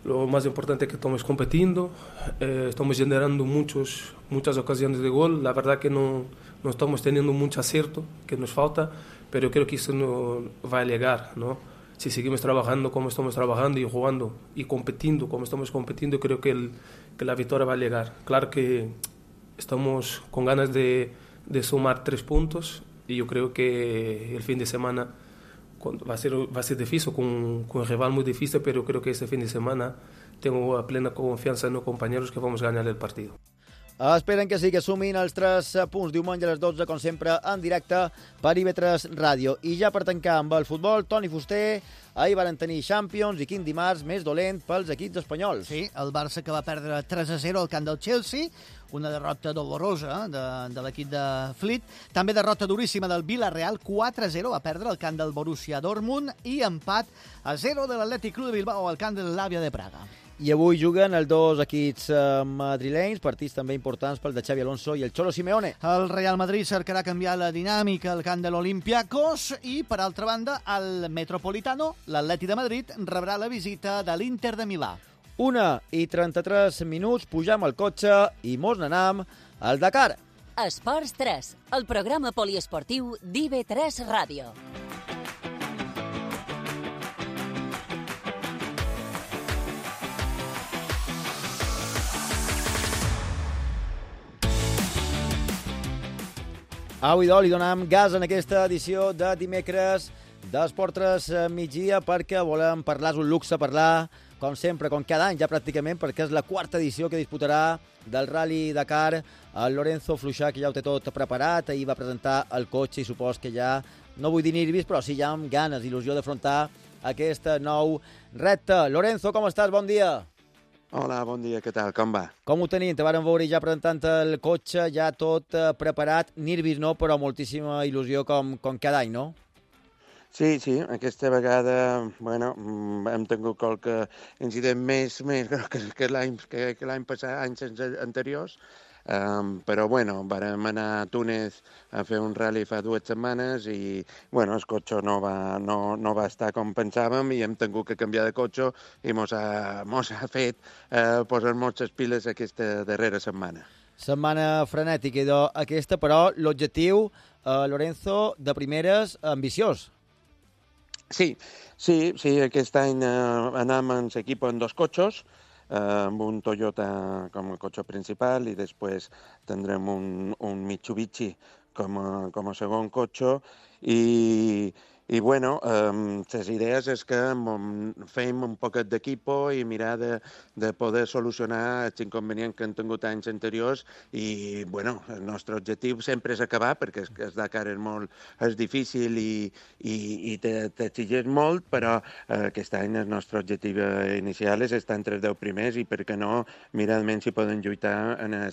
Speaker 18: lo más importante es que estamos compitiendo, estamos generando muchas ocasiones de gol, la verdad que no estamos teniendo mucho acierto, que nos falta, pero creo que eso no va a llegar, ¿no? Si seguimos trabajando como estamos trabajando y jugando y compitiendo como estamos compitiendo, creo que la victoria va a llegar. Claro que estamos con ganas de sumar 3 puntos y yo creo que el fin de semana va a ser difícil, con un rival muy difícil, pero creo que este fin de semana tengo plena confianza en los compañeros que vamos a ganar el partido.
Speaker 2: Esperen que sí que sumin els 3 punts diumenge a les 12, com sempre, en directe per IV3 Ràdio. I ja per tancar amb el futbol, Toni Fuster, ahir van tenir Champions i quin dimarts més dolent pels equips espanyols.
Speaker 3: Sí, el Barça que va perdre 3-0 al camp del Chelsea, una derrota dolorosa de l'equip de Flick. També derrota duríssima del Villarreal, 4-0, va perdre al camp del Borussia Dortmund, i empat a 0 de l'Atlètic Club de Bilbao al camp de l'Àvia de Praga.
Speaker 2: I avui juguen els 2 equips madrilenys, partits també importants pel de Xavi Alonso i el Cholo Simeone.
Speaker 3: El Real Madrid cercarà canviar la dinàmica al camp de l'Olympiacos i, per altra banda, el Metropolitano, l'Atleti de Madrid, rebrà la visita de l'Inter de Milà.
Speaker 2: 1:33, pujam al cotxe i mos n'anam al Dakar.
Speaker 1: Esports 3, el programa poliesportiu d'IV3 Ràdio.
Speaker 2: Au, idò, li donem gas en aquesta edició de dimecres d'Esport 3 migdia perquè volem parlar, és un luxe parlar, com sempre, com cada any ja pràcticament, perquè és la 4ª edició que disputarà del Rally Dakar el Lorenzo Fluixà, que ja ho té tot preparat, ahir va presentar el cotxe i supos que ja, no vull dir nervis, però sí ja amb ganes, il·lusió d'afrontar aquest nou repte. Lorenzo, com estàs? Bon dia.
Speaker 19: Hola, bon dia, què tal? Com va?
Speaker 2: Com ho tenim? Te vàrem veure ja presentant el cotxe, ja tot preparat, nervis no, però moltíssima il·lusió com cada any, no?
Speaker 19: Sí, aquesta vegada, bueno, hem tingut qualque incident més que l'any passat, anys anteriors, però, bueno, vàrem anar a Túnez a fer un rally fa 2 setmanes i, bueno, el cotxe no va estar com pensàvem i hem tingut que canviar de cotxe i mos ha fet posar-nos les piles aquesta darrera setmana.
Speaker 2: Setmana frenètica aquesta, però l'objectiu, Lorenzo, de primeres, ambiciós.
Speaker 19: Sí, aquest any anem en l'equip en 2 cotxes, amb un Toyota com a cotxe principal i després tindrem un Mitsubishi com a segon cotxe i bueno, les idees és que fem un poquet d'equipo i mirar de poder solucionar els inconvenients que han tingut anys anteriors i, bueno, el nostre objectiu sempre és acabar, perquè el Dakar és difícil i t'exigeix molt, però aquest any el nostre objectiu inicial és estar entre els 10 primers i, per què no, mirar almenys si poden lluitar en el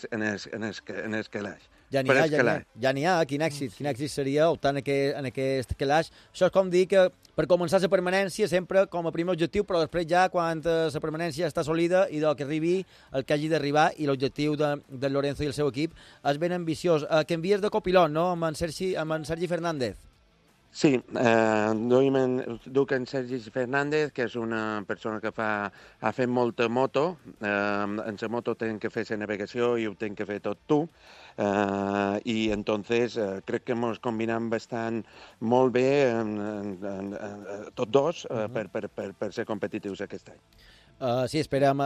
Speaker 19: calaix.
Speaker 2: Ja n'hi ha, quin èxit seria optar en aquest calaix. Això és com dir que per començar la permanència sempre com a primer objectiu, però després ja quan la permanència està assolida i que arribi el que hagi d'arribar i l'objectiu del Lorenzo i el seu equip és ben ambiciós. Que envies de copilot, no?, amb en Sergi Fernández.
Speaker 19: Sí, duc en Sergi Fernández, que és una persona que ha fet molta moto. En la moto tenen que fer la navegació i ho tenen que fer tot tu. I entonces crec que ens combinem bastant molt bé tots dos per ser competitius aquest any.
Speaker 2: Sí, esperem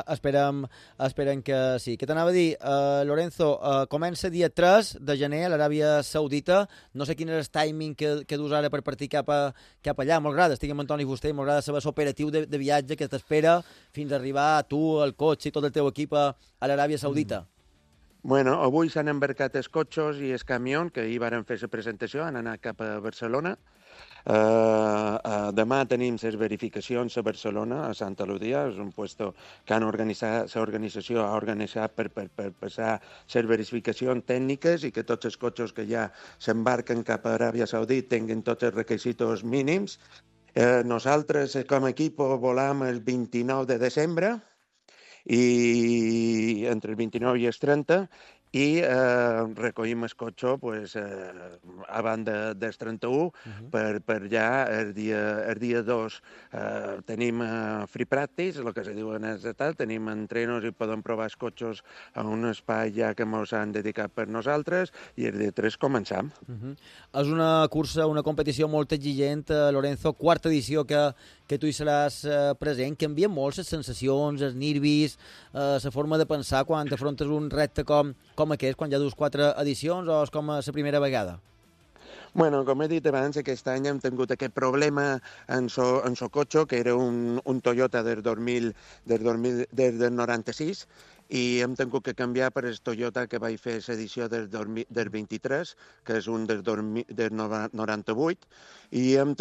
Speaker 2: que sí. Què t'anava a dir, Lorenzo? Comença dia 3 de gener a l'Aràbia Saudita. No sé quin és el timing que dus ara per partir cap allà. M'agrada, estic amb Antoni Fuster, m'agrada saber l'operatiu de viatge que t'espera fins a arribar tu, el cotxe i tot el teu equip a l'Aràbia Saudita.
Speaker 19: Bueno, avui s'han embarcat els cotxes i el camió, que ahir varen fer la presentació, han anat cap a Barcelona. Demà tenim les verificacions a Barcelona, a Santa Lucía, és un puesto que l'organització ha organitzat per passar les verificacions tècniques i que tots els cotxes que ja s'embarquen cap a Aràbia Saudita tinguin tots els requisits mínims. Nosaltres, com a equip, volam el 29 de desembre, i entre el 29 i el 30, i recollim el cotxe abans del 31 per ja el dia 2 tenim free practice, el que se diu en el tal, tenim entrenos i podem provar els cotxes a un espai ja que ens han dedicat per nosaltres i el dia 3 començam.
Speaker 2: És una cursa, una competició molt exigent, Lorenzo, quarta edició que tu hi seràs present. Canvien molt les sensacions, els nervis, la forma de pensar quan t'afrontes un repte com aquest, quan ja dus 4 edicions, o és com la primera vegada?
Speaker 19: Bueno, com he dit abans, aquest any hem tingut aquest problema en el cotxe, que era un Toyota del 96, i hem tingut que canviar per el Toyota que vaig fer l'edició del 23, que és un del 98, i hem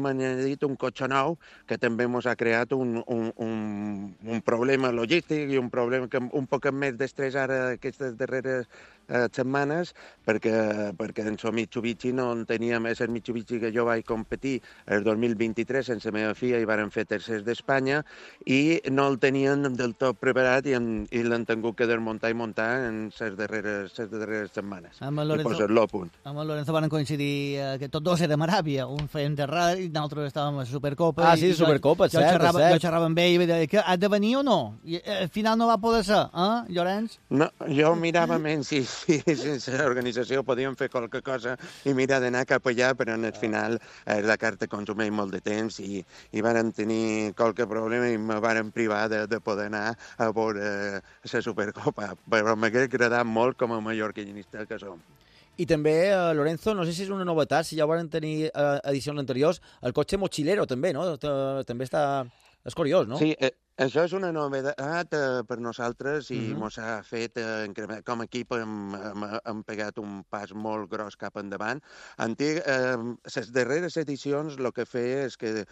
Speaker 19: añadit un cotxe nou que també ens ha creat un problema logístic i un problema que un poc més d'estrès ara aquestes darreres setmanes, perquè en el Mitsubishi no en teníem, és el Mitsubishi que jo vaig competir el 2023 sense la meva filla i varen fer tercers d'Espanya i no el tenien del tot preparat i l'han tingut que desmuntar i muntar en les darreres setmanes i posar-lo a punt.
Speaker 3: Amb el Lorenzo van coincidir que tots dos érem a Aràbia, un fèiem de ràdio i nosaltres estàvem a Supercopa.
Speaker 2: Sí, Supercopa, cert.
Speaker 3: Jo xerrava amb ell i deia que has de venir o no? I al final no va poder ser, Llorenç?
Speaker 19: No, jo mirava menys si sense l'organització podíem fer qualque cosa i mirar d'anar cap allà, però al final la carta consumeix molt de temps i varen tenir qualque problema i me varen privar de poder anar a veure la Supercopa, però m'hauria agradat molt com a mallorquinista que som.
Speaker 2: I també, Lorenzo, no sé si és una novetat, si ja ho van tenir edicions anteriors, el cotxe mochilero també, no? També està... És curiós, no?
Speaker 19: Sí, això és una novetat per nosaltres i ens ha fet, com a equip, hem pegat un pas molt gros cap endavant. Les darreres edicions el que feia és que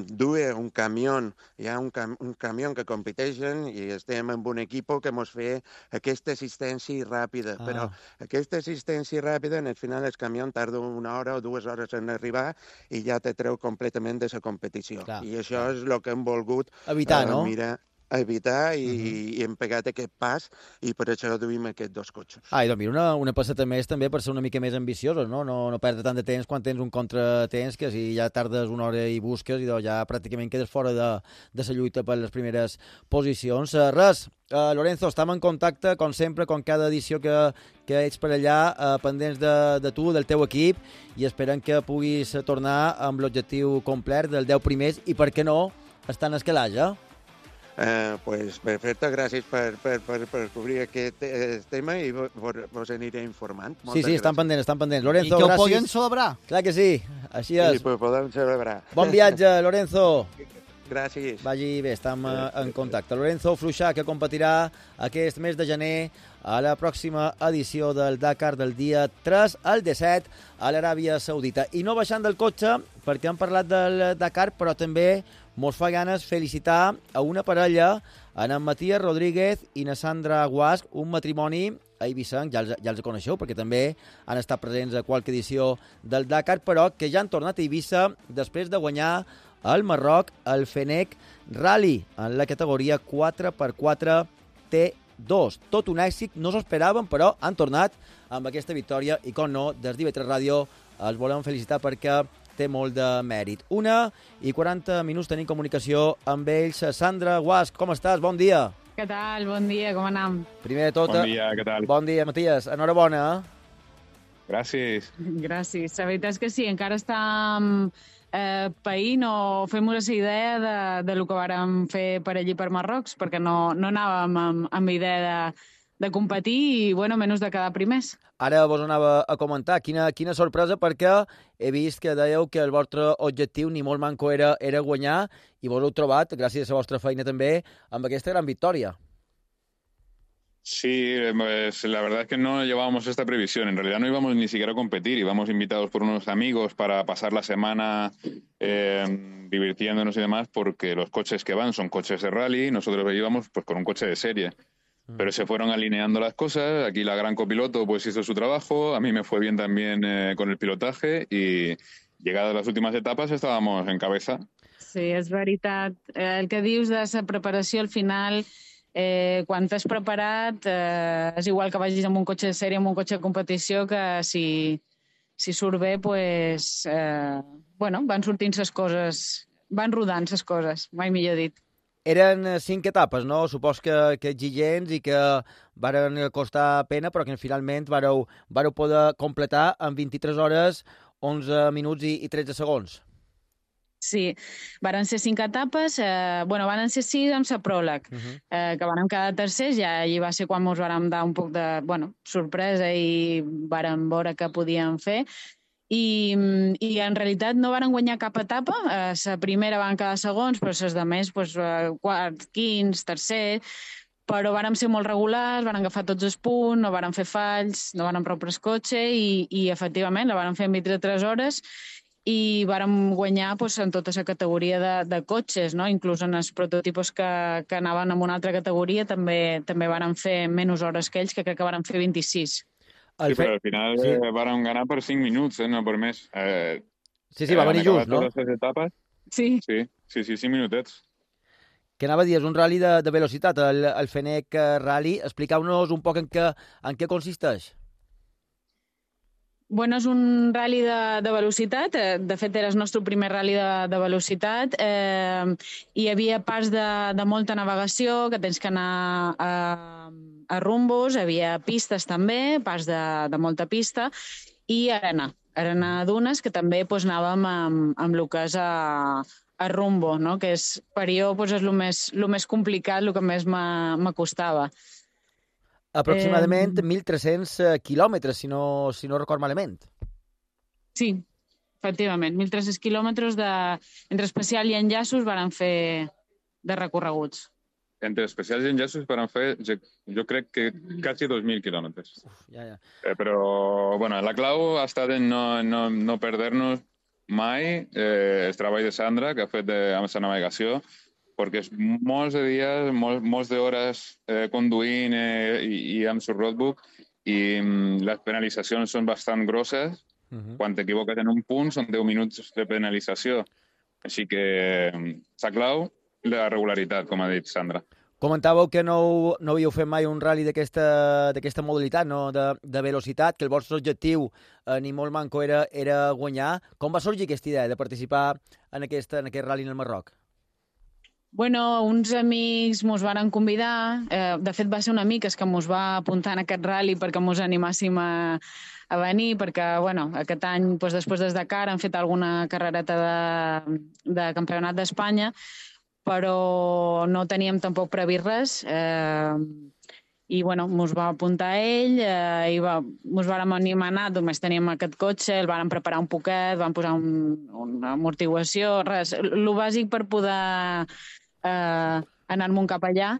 Speaker 19: duia un camió, hi ha un camió que competeixen i estem amb un equip que ens feia aquesta assistència ràpida, però aquesta assistència ràpida, al final el camió tarda 1 hora o 2 hores en arribar i ja te treu completament de la competició. I això és el que hem volgut
Speaker 2: evitar, no?
Speaker 19: Mirar a evitar i hem pegat aquest pas i per això duim aquests 2 cotxes.
Speaker 2: I doncs mira, una passeta més també per ser una mica més ambiciosos, no? No perdre tant de temps quan tens un contratemps que si ja tardes una hora i busques i ja pràcticament quedes fora de la lluita per les primeres posicions. Res, Lorenzo, estem en contacte, com sempre, com cada edició que ets per allà, pendents de tu, del teu equip, i esperem que puguis tornar amb l'objectiu complet del 10 primers i, per què no, estar en escalatge.
Speaker 19: Pues perfecte, gràcies per cobrir aquest tema i vos aniré informant.
Speaker 2: Sí, estan pendents. Lorenzo,
Speaker 3: gràcies. I que ho
Speaker 2: gràcies.
Speaker 3: podem celebrar.
Speaker 2: Clar que sí, així és.
Speaker 19: Sí, ho podem celebrar.
Speaker 2: Bon viatge, Lorenzo.
Speaker 19: Gràcies.
Speaker 2: Vagi bé, estem en contacte. Lorenzo Fluixà, que competirà aquest mes de gener a la pròxima edició del Dakar del dia 3 al 17 a l'Aràbia Saudita. I no baixant del cotxe, perquè hem parlat del Dakar, però també mos fa ganes felicitar a una parella, en Matías Rodríguez i na Sandra Guasch, un matrimoni a Eivissenc, ja els coneixeu, perquè també han estat presents a qualque edició del Dakar, però que ja han tornat a Eivissa després de guanyar al Marroc el Fenech Rally en la categoria 4x4 T2. Tot un èxit, no s'ho esperaven, però han tornat amb aquesta victòria i, com no, des d'IV3 Ràdio els volem felicitar perquè té molt de mèrit. 1:40 tenim comunicació amb ells. Sandra Guasch, com estàs? Bon dia.
Speaker 20: Què tal? Bon dia, com anem?
Speaker 2: Primer de tot...
Speaker 21: Bon dia, què tal?
Speaker 2: Bon dia, Matías. Enhorabona.
Speaker 21: Gràcies.
Speaker 20: Gràcies. La veritat és que sí, encara estàvem païnt o fem-nos la idea de lo que vàrem fer per allí per Marroc, perquè no anàvem amb idea de competir i, bueno, menys de quedar primers.
Speaker 2: Ara vos anava a comentar, quina sorpresa, perquè he vist que dèieu que el vostre objectiu ni molt manco era guanyar i vos heu trobat, gràcies a la vostra feina també, amb aquesta gran victòria.
Speaker 21: Sí, pues, la verdad es que no llevábamos esta previsión. En realidad no íbamos ni siquiera a competir, íbamos invitados por unos amigos para pasar la semana divirtiéndonos y demás, porque los coches que van son coches de rally, nosotros íbamos pues con un coche de serie. Pero se fueron alineando las cosas, aquí la gran copiloto pues hizo su trabajo, a mí me fue bien también con el pilotaje y llegadas las últimas etapas estábamos en cabeza.
Speaker 20: Sí, és veritat. El que dius de la preparació al final, quan t'has preparat, és igual que vagis amb un cotxe de sèrie, amb un cotxe de competició, que si surt bé, pues, bueno, van sortint les coses, van rodant les coses, mai millor dit.
Speaker 2: Eren 5 etapes, no? Supos que exigents i que varen costar pena, però que finalment vareu poder completar en 23 hores, 11 minuts i 13 segons.
Speaker 20: Sí, varen ser 5 etapes, varen ser 6 amb la pròleg, que vàrem quedar tercers, ja allí va ser quan ens vàrem dar un poc de sorpresa i vàrem veure què podíem fer. I en realitat no varen guanyar cap etapa, la primera van quedar segons, però les demés quart, quints, tercer, però vàrem ser molt regulars, vàrem agafar tots els punts, no vàrem fer falls, no vàrem prou el cotxe i efectivament la vàrem fer en 23 hores i vàrem guanyar en tota la categoria de cotxes, inclús en els prototipos que anaven en una altra categoria també vàrem fer menys hores que ells, que crec que vàrem fer 26.
Speaker 21: Sí, però al final varen ganar per 5 minuts, no per més.
Speaker 2: Sí, va venir just, no?
Speaker 21: Totes les etapes.
Speaker 20: Sí.
Speaker 21: Sí, 5 minutets.
Speaker 2: Que anava a dir, és un rally de velocitat, el Fenech Rally. Expliqueu-nos un poc en què consisteix.
Speaker 20: Bueno, és un rally de velocitat. De fet, era el nostre primer rally de velocitat. Hi havia parts de molta navegació, que tens que anar a rumbos, hi havia pistes també, parts de molta pista, i arena dunes, que també anàvem amb el que és a rumbo, que és per jo és el més complicat, el que més m'acostava.
Speaker 2: Aproximadament 1.300 quilòmetres, si no record malament.
Speaker 20: Sí, efectivament. 1.300 quilòmetres entre especial i enllaços varen fer de recorreguts.
Speaker 21: Entre especials i enllaços van fer, jo crec que quasi 2.000 quilòmetres. Però, bueno, la clau ha estat en no perdre-nos mai el treball de Sandra, que ha fet amb la navegació, perquè és molts de dies, molts d'hores conduint i amb el roadbook, i les penalitzacions són bastant grosses. Quan t'equivoques en un punt són 10 minuts de penalització. Així que la clau, la regularitat, com ha dit Sandra.
Speaker 2: Comentàveu que no havíeu fet mai un rally d'aquesta modalitat, no? de velocitat, que el vostre objectiu ni molt manco era guanyar. Com va sorgir aquesta idea de participar en aquest rally en el Marroc?
Speaker 20: Bueno, uns amics mos varen convidar. De fet, va ser un amic que mos va apuntar en aquest rally perquè mos animàssim a venir, perquè aquest any, després des de Dakar, han fet alguna carrereta de campionat d'Espanya, però no teníem tampoc previst res. I mos va apuntar ell i mos vàrem animar a anar, només teníem aquest cotxe, el vàrem preparar un poquet, vam posar una amortiguació, res, el bàsic per poder anar-me'n cap allà,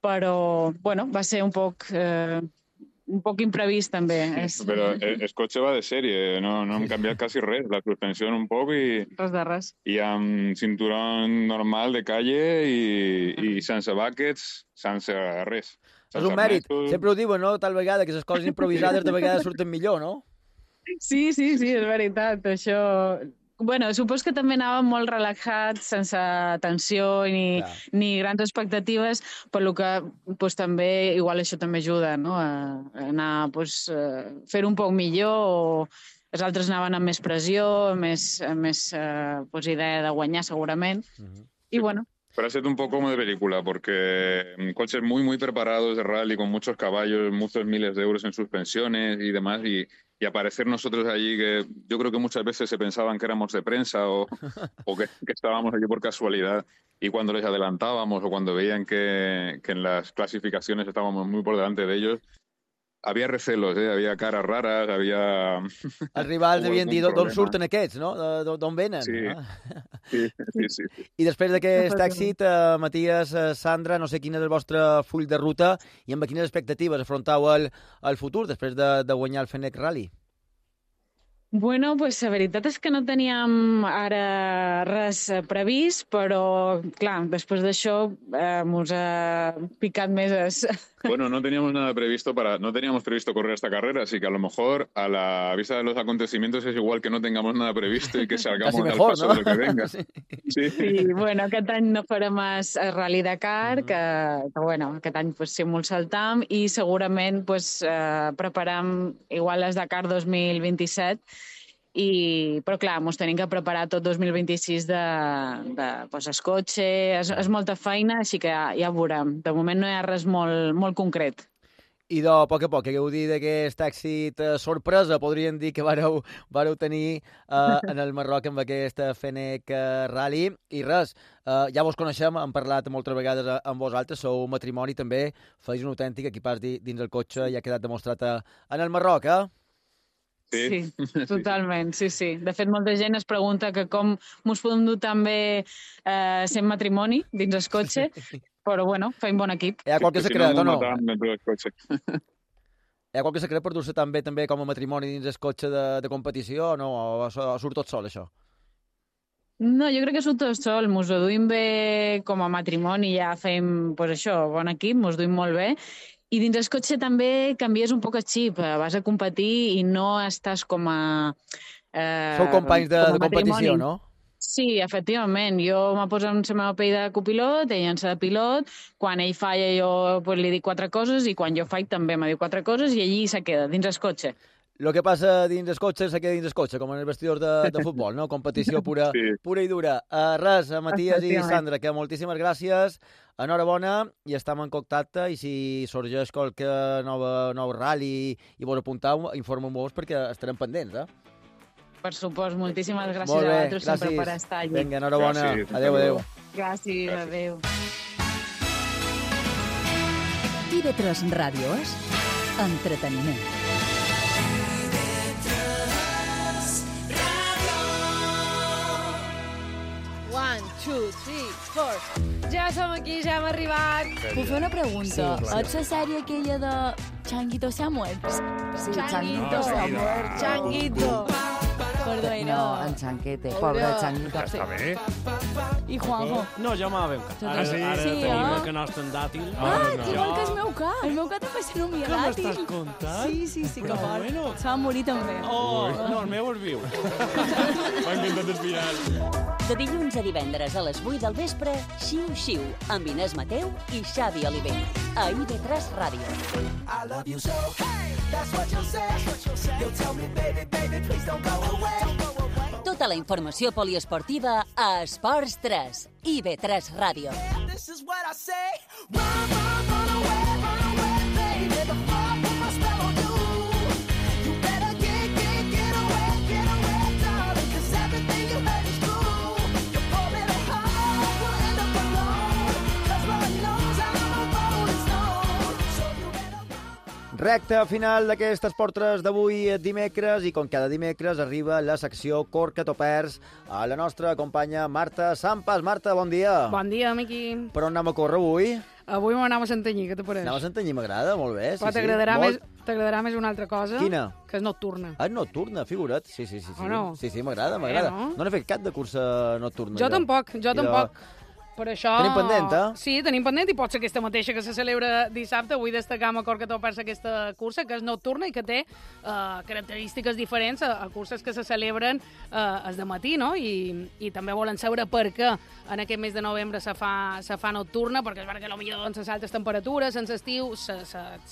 Speaker 20: però va ser un poc imprevist també.
Speaker 21: Però el cotxe va de sèrie, no hem canviat quasi res, la suspensió un poc i...
Speaker 20: Res de res.
Speaker 21: I amb cinturón normal de calle i sense buckets, sense res.
Speaker 2: És un mèrit. Sempre ho diuen, no? Tal vegada, que les coses improvisades de vegades surten millor, no?
Speaker 20: Sí, és veritat, això... Supos que també anàvem molt relaxats, sense tensió ni grans expectatives, per lo que també, igual això també ajuda, no? A anar, fer un poc millor, o els altres anaven amb més pressió, amb més idea de guanyar, segurament. Y bueno...
Speaker 21: Pero ha sido un poco como de película, porque coches muy, muy preparados de rally, con muchos caballos, muchos miles de euros en suspensiones y demás, y aparecer nosotros allí, que yo creo que muchas veces se pensaban que éramos de prensa o que estábamos allí por casualidad, y cuando les adelantábamos o cuando veían que en las clasificaciones estábamos muy por delante de ellos, había recelos, había caras raras, había...
Speaker 2: Els rivals havien dit d'on surten aquests, no? D'on venen.
Speaker 21: Sí.
Speaker 2: I després d'aquest èxit, Matías, Sandra, no sé quin és el vostre full de ruta i amb quines expectatives afrontau el futur després de guanyar el Fenech Rally.
Speaker 20: Bueno, la veritat és que no teníem ara res previst, però, clar, després d'això mos ha picat més...
Speaker 21: Bueno, no teníamos previsto correr esta carrera, así que a lo mejor a la vista de los acontecimientos es igual que no tengamos nada previsto y que salgamos al paso de lo que venga. Sí,
Speaker 20: aquest any no farem més Rally Dakar, que aquest any sí molt saltam, i segurament preparam igual les Dakar 2027, però clar, ens tenim que preparar tot 2026 el cotxe, és molta feina, així que ja veurem. De moment no hi ha res molt concret.
Speaker 2: I a poc a poc, que heu dit d'aquest èxit sorpresa, podríem dir que vareu tenir en el Marroc amb aquest Fenech Rally. I res, ja vos coneixem, hem parlat moltes vegades amb vosaltres, sou matrimoni també, feis un autèntic equipàs dins el cotxe i ha quedat demostrat en el Marroc,
Speaker 20: Sí, totalment, sí. De fet, molta gent es pregunta que com ens podem dur també sent matrimoni dins el cotxe, però feim bon equip.
Speaker 2: Hi ha qualque secret, o no? Hi ha qualque secret per dur-se també com a matrimoni dins el cotxe de competició, o no? O surt tot sol, això?
Speaker 20: No, jo crec que surt tot sol. Ens ho duim bé com a matrimoni, ja fem, bon equip, ens ho duim molt bé. I dins el cotxe també canvies un poc el xip, vas a competir i no estàs com a...
Speaker 2: Sou companys de competició, no?
Speaker 20: Sí, efectivament. Jo me poso en la meva pell de copilot, ell en la de pilot, quan ell falla jo li dic 4 coses i quan jo faig també me diu 4 coses i allí se queda, dins el cotxe.
Speaker 2: El que passa dins el cotxe se queda dins el cotxe, com en els vestidors de futbol, no? Competició pura i dura. Res, Matías i Sandra, que moltíssimes gràcies, enhorabona, i estem en contacte, i si sorgeix qualque nou rally i vos apuntau, informeu-vos perquè estarem pendents,
Speaker 20: Per supost, moltíssimes gràcies a vosaltres sempre per estar allà.
Speaker 2: Vinga, enhorabona. Adéu.
Speaker 20: Gràcies, adéu.
Speaker 1: TV3 Ràdio és entreteniment.
Speaker 15: Ja som aquí, ja hem arribat.
Speaker 5: Puc fer una pregunta? Ets la sèrie aquella de Changuito se ha muerto?
Speaker 22: Sí, Changuito se ha muerto.
Speaker 15: Changuito.
Speaker 5: Perdó,
Speaker 22: no, en Chanquete, pobre Changuito.
Speaker 23: Està bé?
Speaker 5: I Juanjo?
Speaker 23: No, ja m'ha veu. Ara tenim el canal d'Andàtil.
Speaker 5: Igual que el meu cat. El meu cat també s'anomia Dàtil.
Speaker 23: Què m'estàs contant?
Speaker 5: Sí, que fort. Se va morir també.
Speaker 23: No, el meu és viu. M'ha encantat el final.
Speaker 1: De dilluns a divendres a les 8 del vespre, Xiu Xiu, amb Inés Mateu i Xavi Oliver. A IB3 Ràdio.
Speaker 6: I love you so, hey, that's what you say. You tell me, baby, baby, please don't go away.
Speaker 1: Tota la informació poliesportiva a Esports 3, IB3 Ràdio.
Speaker 6: This is what I say. Run away, baby. The fire put my spell on you. You better get away, darling, 'cause everything you heard is true. You're falling apart, we'll end up alone, 'cause Lord knows I'm a rolling stone. So you better...
Speaker 2: Recta final d'aquest Esportres d'avui dimecres i com cada dimecres arriba la secció Corca o perds a la nostra companya Marta Sampas. Marta, bon dia.
Speaker 15: Bon dia, Miqui.
Speaker 2: Per on anem a córrer avui?
Speaker 15: Avui m'anem a Santanyí, què te pareix?
Speaker 2: Anem a Santanyí, m'agrada, molt bé.
Speaker 15: Però t'agradarà més una altra cosa.
Speaker 2: Quina?
Speaker 15: Que és nocturna.
Speaker 2: Ah, nocturna, figura't. Sí.
Speaker 15: O no?
Speaker 2: Sí, m'agrada. No n'he fet cap de cursa nocturna.
Speaker 15: Jo tampoc. Per això...
Speaker 2: Tenim pendent, eh?
Speaker 15: Sí, tenim pendent i pot ser aquesta mateixa que se celebra dissabte. Vull destacar amb Corca o perds aquesta cursa, que és nocturna i que té característiques diferents a curses que se celebren es de matí, no? I també volen saber per què en aquest mes de novembre se fa nocturna, perquè és veritat que potser doncs, les altes temperatures en l'estiu se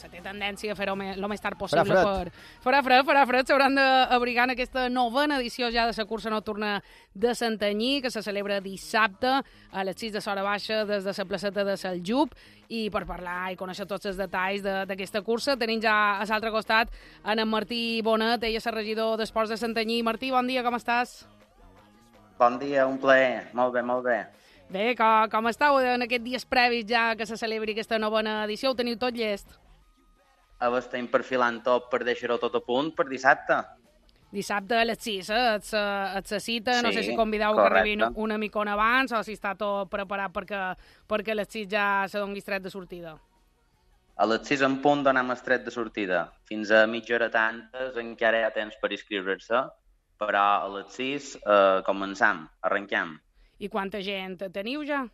Speaker 15: té tendència a fer-ho el més tard possible. Farà fred. S'hauran d'abrigar en aquesta novena edició ja de la cursa nocturna de Santanyí, que se celebra dissabte a les 6 de Sora Baixa des de la placeta de Saljup, i per parlar i conèixer tots els detalls d'aquesta cursa tenim ja a l'altre costat en Martí Bonet, ell és el regidor d'Esports de Santanyí. Martí, bon dia, com estàs?
Speaker 7: Bon dia, un plaer. Molt bé.
Speaker 15: Bé, com estàu en aquests dies previs ja que se celebri aquesta novena edició? Ho teniu tot llest?
Speaker 7: Ara estem perfilant tot per deixar-ho tot a punt per dissabte.
Speaker 15: Dissabte a les 6, et se cita, no sé si convideu
Speaker 7: correcte.
Speaker 15: Que arribin una micona abans o si està tot preparat perquè a les 6 ja se doni estret de sortida.
Speaker 7: A les 6 en punt donem estret de sortida. Fins a mitja hora tantes encara hi ha temps per inscriure-se, però a les 6 començam, arrenquem.
Speaker 15: I quanta gent teniu ja?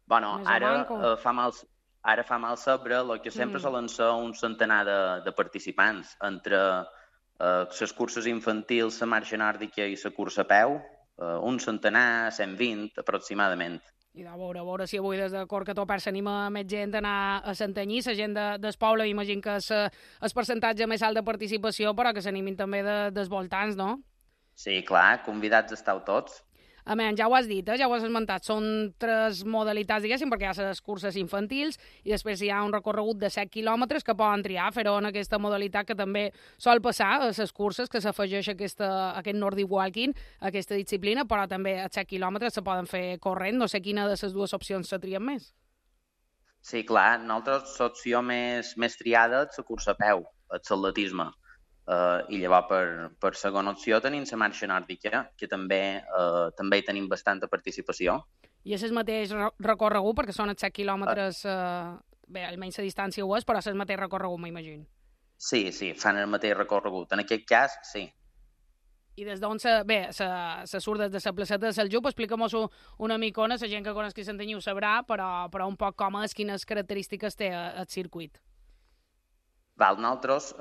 Speaker 7: Bueno, ara fa mal saber, el que sempre solen ser un centenar de participants, entre les curses infantils, la marxa nòrdica i la cursa a peu, un centenar, 120 aproximadament.
Speaker 15: I a veure si avui des de Corca o perds s'anima més gent a anar a Santanyí, la gent del poble, imagino que és el percentatge més alt de participació, però que s'animin també dels voltants, no?
Speaker 7: Sí, clar, convidats esteu tots.
Speaker 15: A més, ja ho has dit, ja ho has esmentat, són 3 modalitats, diguéssim, perquè hi ha les curses infantils i després hi ha un recorregut de 7 quilòmetres que poden triar fer-ho en aquesta modalitat que també sol passar a les curses, que s'afegeix aquest Nordic Walking, aquesta disciplina, però també a 7 quilòmetres se poden fer corrent. No sé quina de les dues opcions se trien més.
Speaker 7: Sí, clar, nosaltres l'opció més triada és la cursa a peu, l'atletisme. I llavors per segona opció tenim la marxa nòrdica, que també hi tenim bastanta participació.
Speaker 15: I és el mateix recorregut, perquè són els 7 quilòmetres, bé, almenys la distància ho és, però és el mateix recorregut, m'imagino.
Speaker 7: Sí, fan el mateix recorregut. En aquest cas, sí.
Speaker 15: I des d'on se surt des de la placeta de Saljup? Explica'm-ho una micona, la gent que conegui Santanyí ho sabrà, però un poc com és, quines característiques té el circuit.
Speaker 7: Nosaltres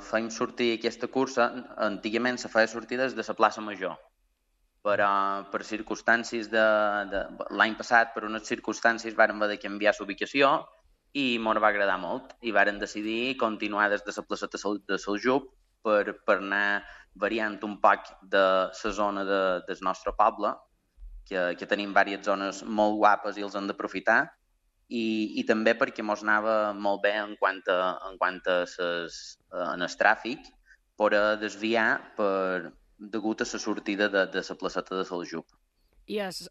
Speaker 7: fem sortir aquesta cursa, antigament se feia sortir des de la plaça Major, però per circumstàncies l'any passat, per unes circumstàncies, vàrem haver de canviar l'ubicació i ens va agradar molt i vàrem decidir continuar des de la placeta de Saljup per anar variant un poc de la zona del nostre poble, que tenim diverses zones molt guapes i els hem d'aprofitar, i també perquè ens anava molt bé en quant a el tràfic, per desviar degut a la sortida de la placeta de Saljup.
Speaker 15: I és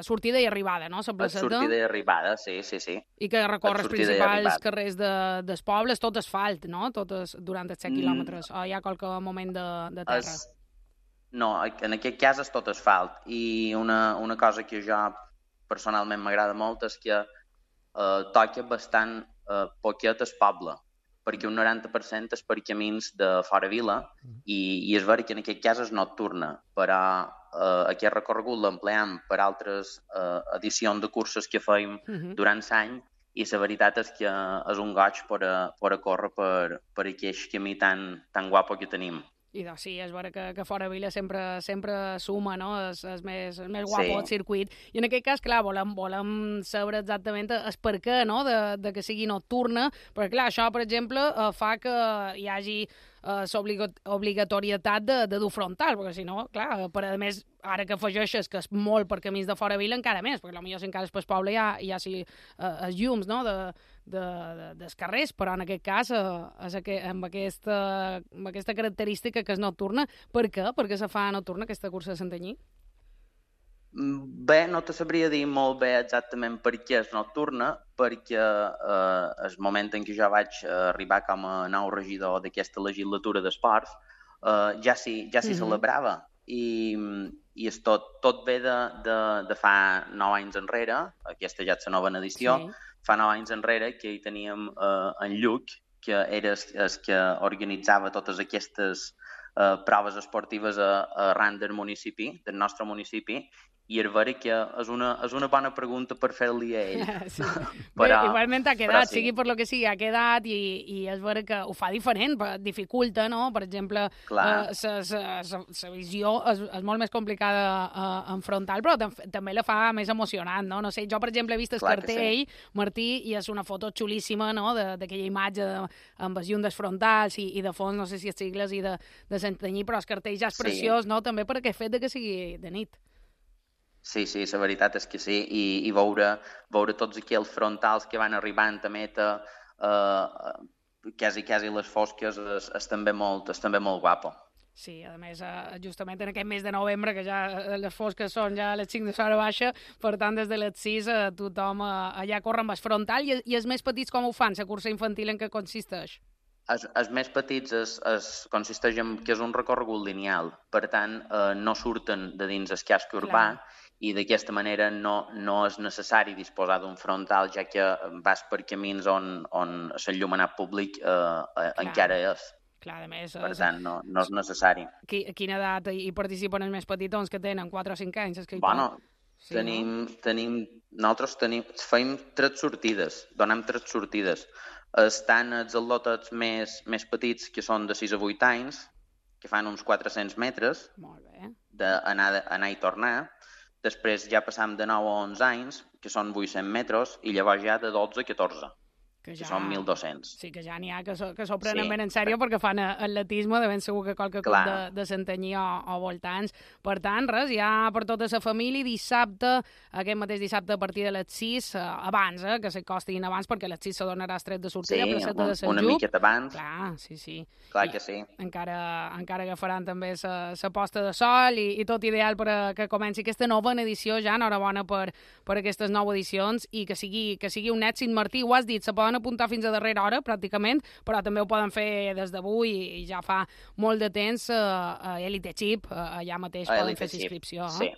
Speaker 15: sortida i arribada, no? La placeta?
Speaker 7: Sortida i arribada, sí.
Speaker 15: I que recorre els principals carrers dels pobles, tot asfalt, no? Tot durant els 7 quilòmetres, o hi ha qualque moment de terra?
Speaker 7: No, en aquest cas és tot asfalt. I una cosa que jo personalment m'agrada molt és que toca bastant poquet el poble, perquè un 90% és per camins de fora vila i és veritat que en aquest cas és nocturna, però aquest recorregut l'empleam per altres edicions de curses que feim durant l'any i la veritat és que és un goig per a córrer per aquell camí tan guapo que tenim.
Speaker 15: I doncs sí, és vera que fora Vila sempre suma, no? És més guapo el circuit. I en aquest cas, clar, volem saber exactament el per què, no?, de que sigui nocturna, perquè, clar, això, per exemple, fa que hi hagi l'obligatorietat de dur frontal, perquè si no, clar, a més, ara que afegeixes que és molt per camins de fora Vila, encara més, perquè potser si encara és pel poble hi ha els llums, no?, dels carrers, però en aquest cas amb aquesta característica que és nocturna. Per què? Per què se fa nocturna aquesta cursa de Santanyí?
Speaker 7: Bé, no te sabria dir molt bé exactament per què és nocturna, perquè el moment en què jo vaig arribar com a nou regidor d'aquesta legislatura d'esports ja s'hi celebrava, i tot ve de fa 9 anys enrere. Aquesta ja és la novena edició. Fa 9 anys enrere que hi teníem en Lluc, que era el que organitzava totes aquestes proves esportives arran del municipi, del nostre municipi, i és vera que és una bona pregunta per fer-li a ell.
Speaker 15: Sí. Però, igualment ha quedat, sigui per lo que sigui, ha quedat, i és vera que ho fa diferent, dificulta, no? Per exemple, la visió és molt més complicada en frontal, però també la fa més emocionant, no? No sé, jo, per exemple, he vist el cartell, Martí, i és una foto xulíssima, no?, d'aquella imatge amb els llums frontals i de fons, no sé si és sigles i de Santanyí, però el cartell ja és preciós, no?, també per aquest fet que sigui de nit.
Speaker 7: Sí, la veritat és que sí, i veure tots aquells frontals que van arribant a meta, quasi les fosques, és també molt guapo.
Speaker 15: Sí, a més, justament en aquest mes de novembre, que ja les fosques són ja a les 5 de l'hora baixa, per tant, des de les 6 tothom allà corre amb el frontal, i els més petits com ho fan, la cursa infantil, en què consisteix?
Speaker 7: Els més petits consisteix en que és un recorregut lineal, per tant, no surten de dins el casc urbà, i d'aquesta manera no és necessari disposar d'un frontal, ja que vas per camins on l'enllumenat públic encara és.
Speaker 15: Clar, a més...
Speaker 7: Per tant, no és necessari.
Speaker 15: A quina edat hi participen els més petitons, que tenen 4 o 5 anys?
Speaker 7: Bueno, nosaltres fem 3 sortides, donem 3 sortides. Estan els atlletes més petits, que són de 6 a 8 anys, que fan uns 400 metres d'anar i tornar. Després ja passam de 9 a 11 anys, que són 800 metres, i llavors ja de 12 a 14, que són 1.200.
Speaker 15: Sí, que ja n'hi ha que s'ho prenen ben en sèrio, perquè fan atletisme, de ben segur que qualque club de Santanyí o voltants. Per tant, res, ja per tota la família, dissabte, aquest mateix dissabte a partir de les 6, abans, que s'acostin abans, perquè a les 6 se donarà el tret de sortida,
Speaker 7: una miqueta abans.
Speaker 15: Clar, sí.
Speaker 7: Clar que sí.
Speaker 15: Encara agafaran també la posta de sol, i tot ideal per que comenci aquesta novena edició, ja enhorabona per aquestes 9 edicions, i que sigui un èxit. Martí, ho has dit, se poden apuntar fins a darrera hora, pràcticament, però també ho poden fer des d'avui, i ja fa molt de temps a Elite Chip, allà mateix poden fer inscripció.
Speaker 7: Sí.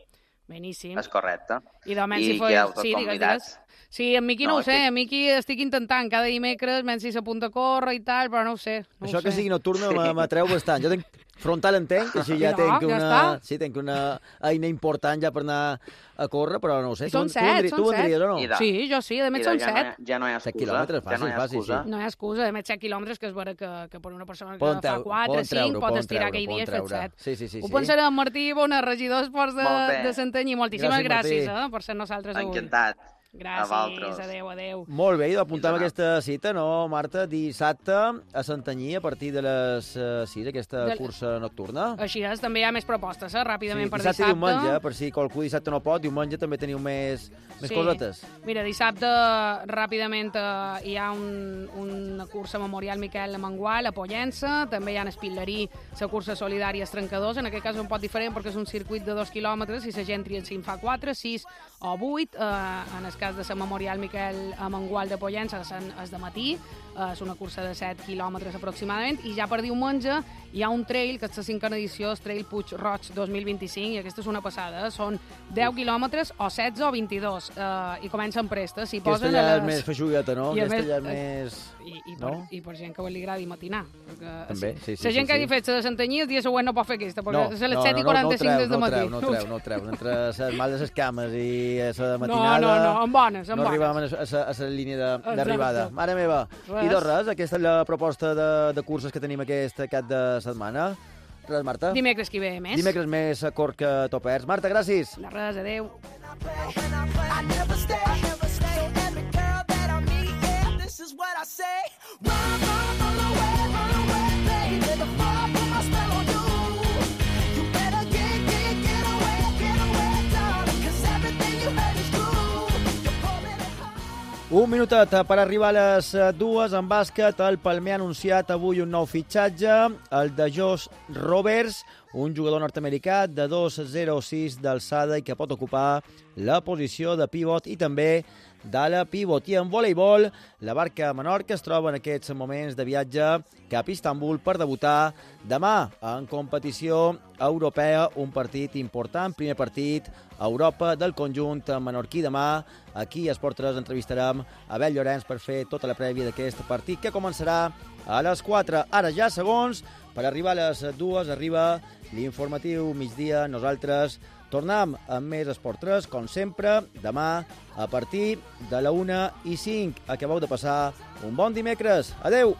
Speaker 15: Beníssim.
Speaker 7: És correcte.
Speaker 15: I digues. Sí, en Miqui no ho sé, en Miqui estic intentant cada dimecres, menys si s'apunta a córrer i tal, però no ho sé.
Speaker 2: Això que sigui nocturna m'atreu bastant. Jo tenc frontal, entenc, que així ja tenc una eina important ja per anar a córrer, però no ho sé.
Speaker 15: Són 7.
Speaker 2: Tu vendries o no?
Speaker 15: Sí, jo sí, a més són 7.
Speaker 7: Ja no hi ha excusa.
Speaker 2: 7 quilòmetres, fàcil, sí.
Speaker 15: No hi ha excusa, a més 7 quilòmetres, que és vera que per una persona que fa 4, 5, pot estirar aquell dia i fer 7.
Speaker 2: Sí.
Speaker 15: Ho pensaré amb Martí Bona, regidor d'Esports de Santanyí. Moltíssimes gràcies per ser nosaltres avui.
Speaker 7: Encantat.
Speaker 15: Gràcies, adeu.
Speaker 2: Molt bé, i apuntem aquesta cita, no, Marta? Dissabte a Santanyí, a partir de les 6, aquesta cursa nocturna.
Speaker 15: Així és, també hi ha més propostes, ràpidament per
Speaker 2: dissabte. Dissabte i diumenge, per si qualcú dissabte no pot, diumenge també teniu més cosetes.
Speaker 15: Mira, dissabte, ràpidament, hi ha una cursa memorial Miquel Mangual a Pollença, també hi ha en Espitlerí la cursa solidària Trencadors, en aquest cas un poc diferent perquè és un circuit de 2 quilòmetres i la gent tria si en fa 4, 6 o 8, en el cas de la memorial Miquel Mangual de Pollença és de matí, és una cursa de 7 quilòmetres aproximadament, i ja per diumenge hi ha un trail, que és la 5a edició, el Trail Puig Roig 2025, i aquesta és una passada, són 10 quilòmetres o 16 o 22, i comencen prestes.
Speaker 2: Aquesta ja és més feixugueta, no? Aquesta ja és més...
Speaker 15: I per gent que li agradi matinar.
Speaker 2: També, sí.
Speaker 15: La gent que hagi fet la de Santanyí, el dia següent no pot fer aquesta, perquè és a les 7:45 des de matí.
Speaker 2: No treu. Entre les mal de les cames i la matinada...
Speaker 15: No, amb bones.
Speaker 2: No arribàvem a la línia d'arribada. Mare meva. I doncs res, aquesta és la proposta de curses que tenim aquest cap de setmana. Res, Marta.
Speaker 15: Dimecres que ve més.
Speaker 2: Dimecres més cort que topers. Marta, gràcies.
Speaker 15: De res, adeu.
Speaker 6: I never stay. Every girl that I meet, yeah, this is what I say. Run away, baby. The fall put my spell on you. You better get away, darling, 'cause everything you heard is true.
Speaker 2: Un minutet per arribar a les 2 en bàsquet. El Palmer ha anunciat avui un nou fitxatge, el de Josh Roberts, un jugador nord-americà de 2,06 d'alçada i que pot ocupar la posició de pivot i també d'ala pivot. I en voleibol, la Barca Menorca es troba en aquests moments de viatge cap a Istanbul per debutar demà en competició europea, un partit important, primer partit a Europa del conjunt menorquí. Demà aquí a Esport 3 entrevistarem a Abel Llorenç per fer tota la prèvia d'aquest partit que començarà a les 4. Ara ja segons, per arribar a les 2 arriba l'informatiu migdia. Nosaltres tornem amb més Esport 3, com sempre, demà a partir de la 1:05. Acabeu de passar un bon dimecres. Adeu!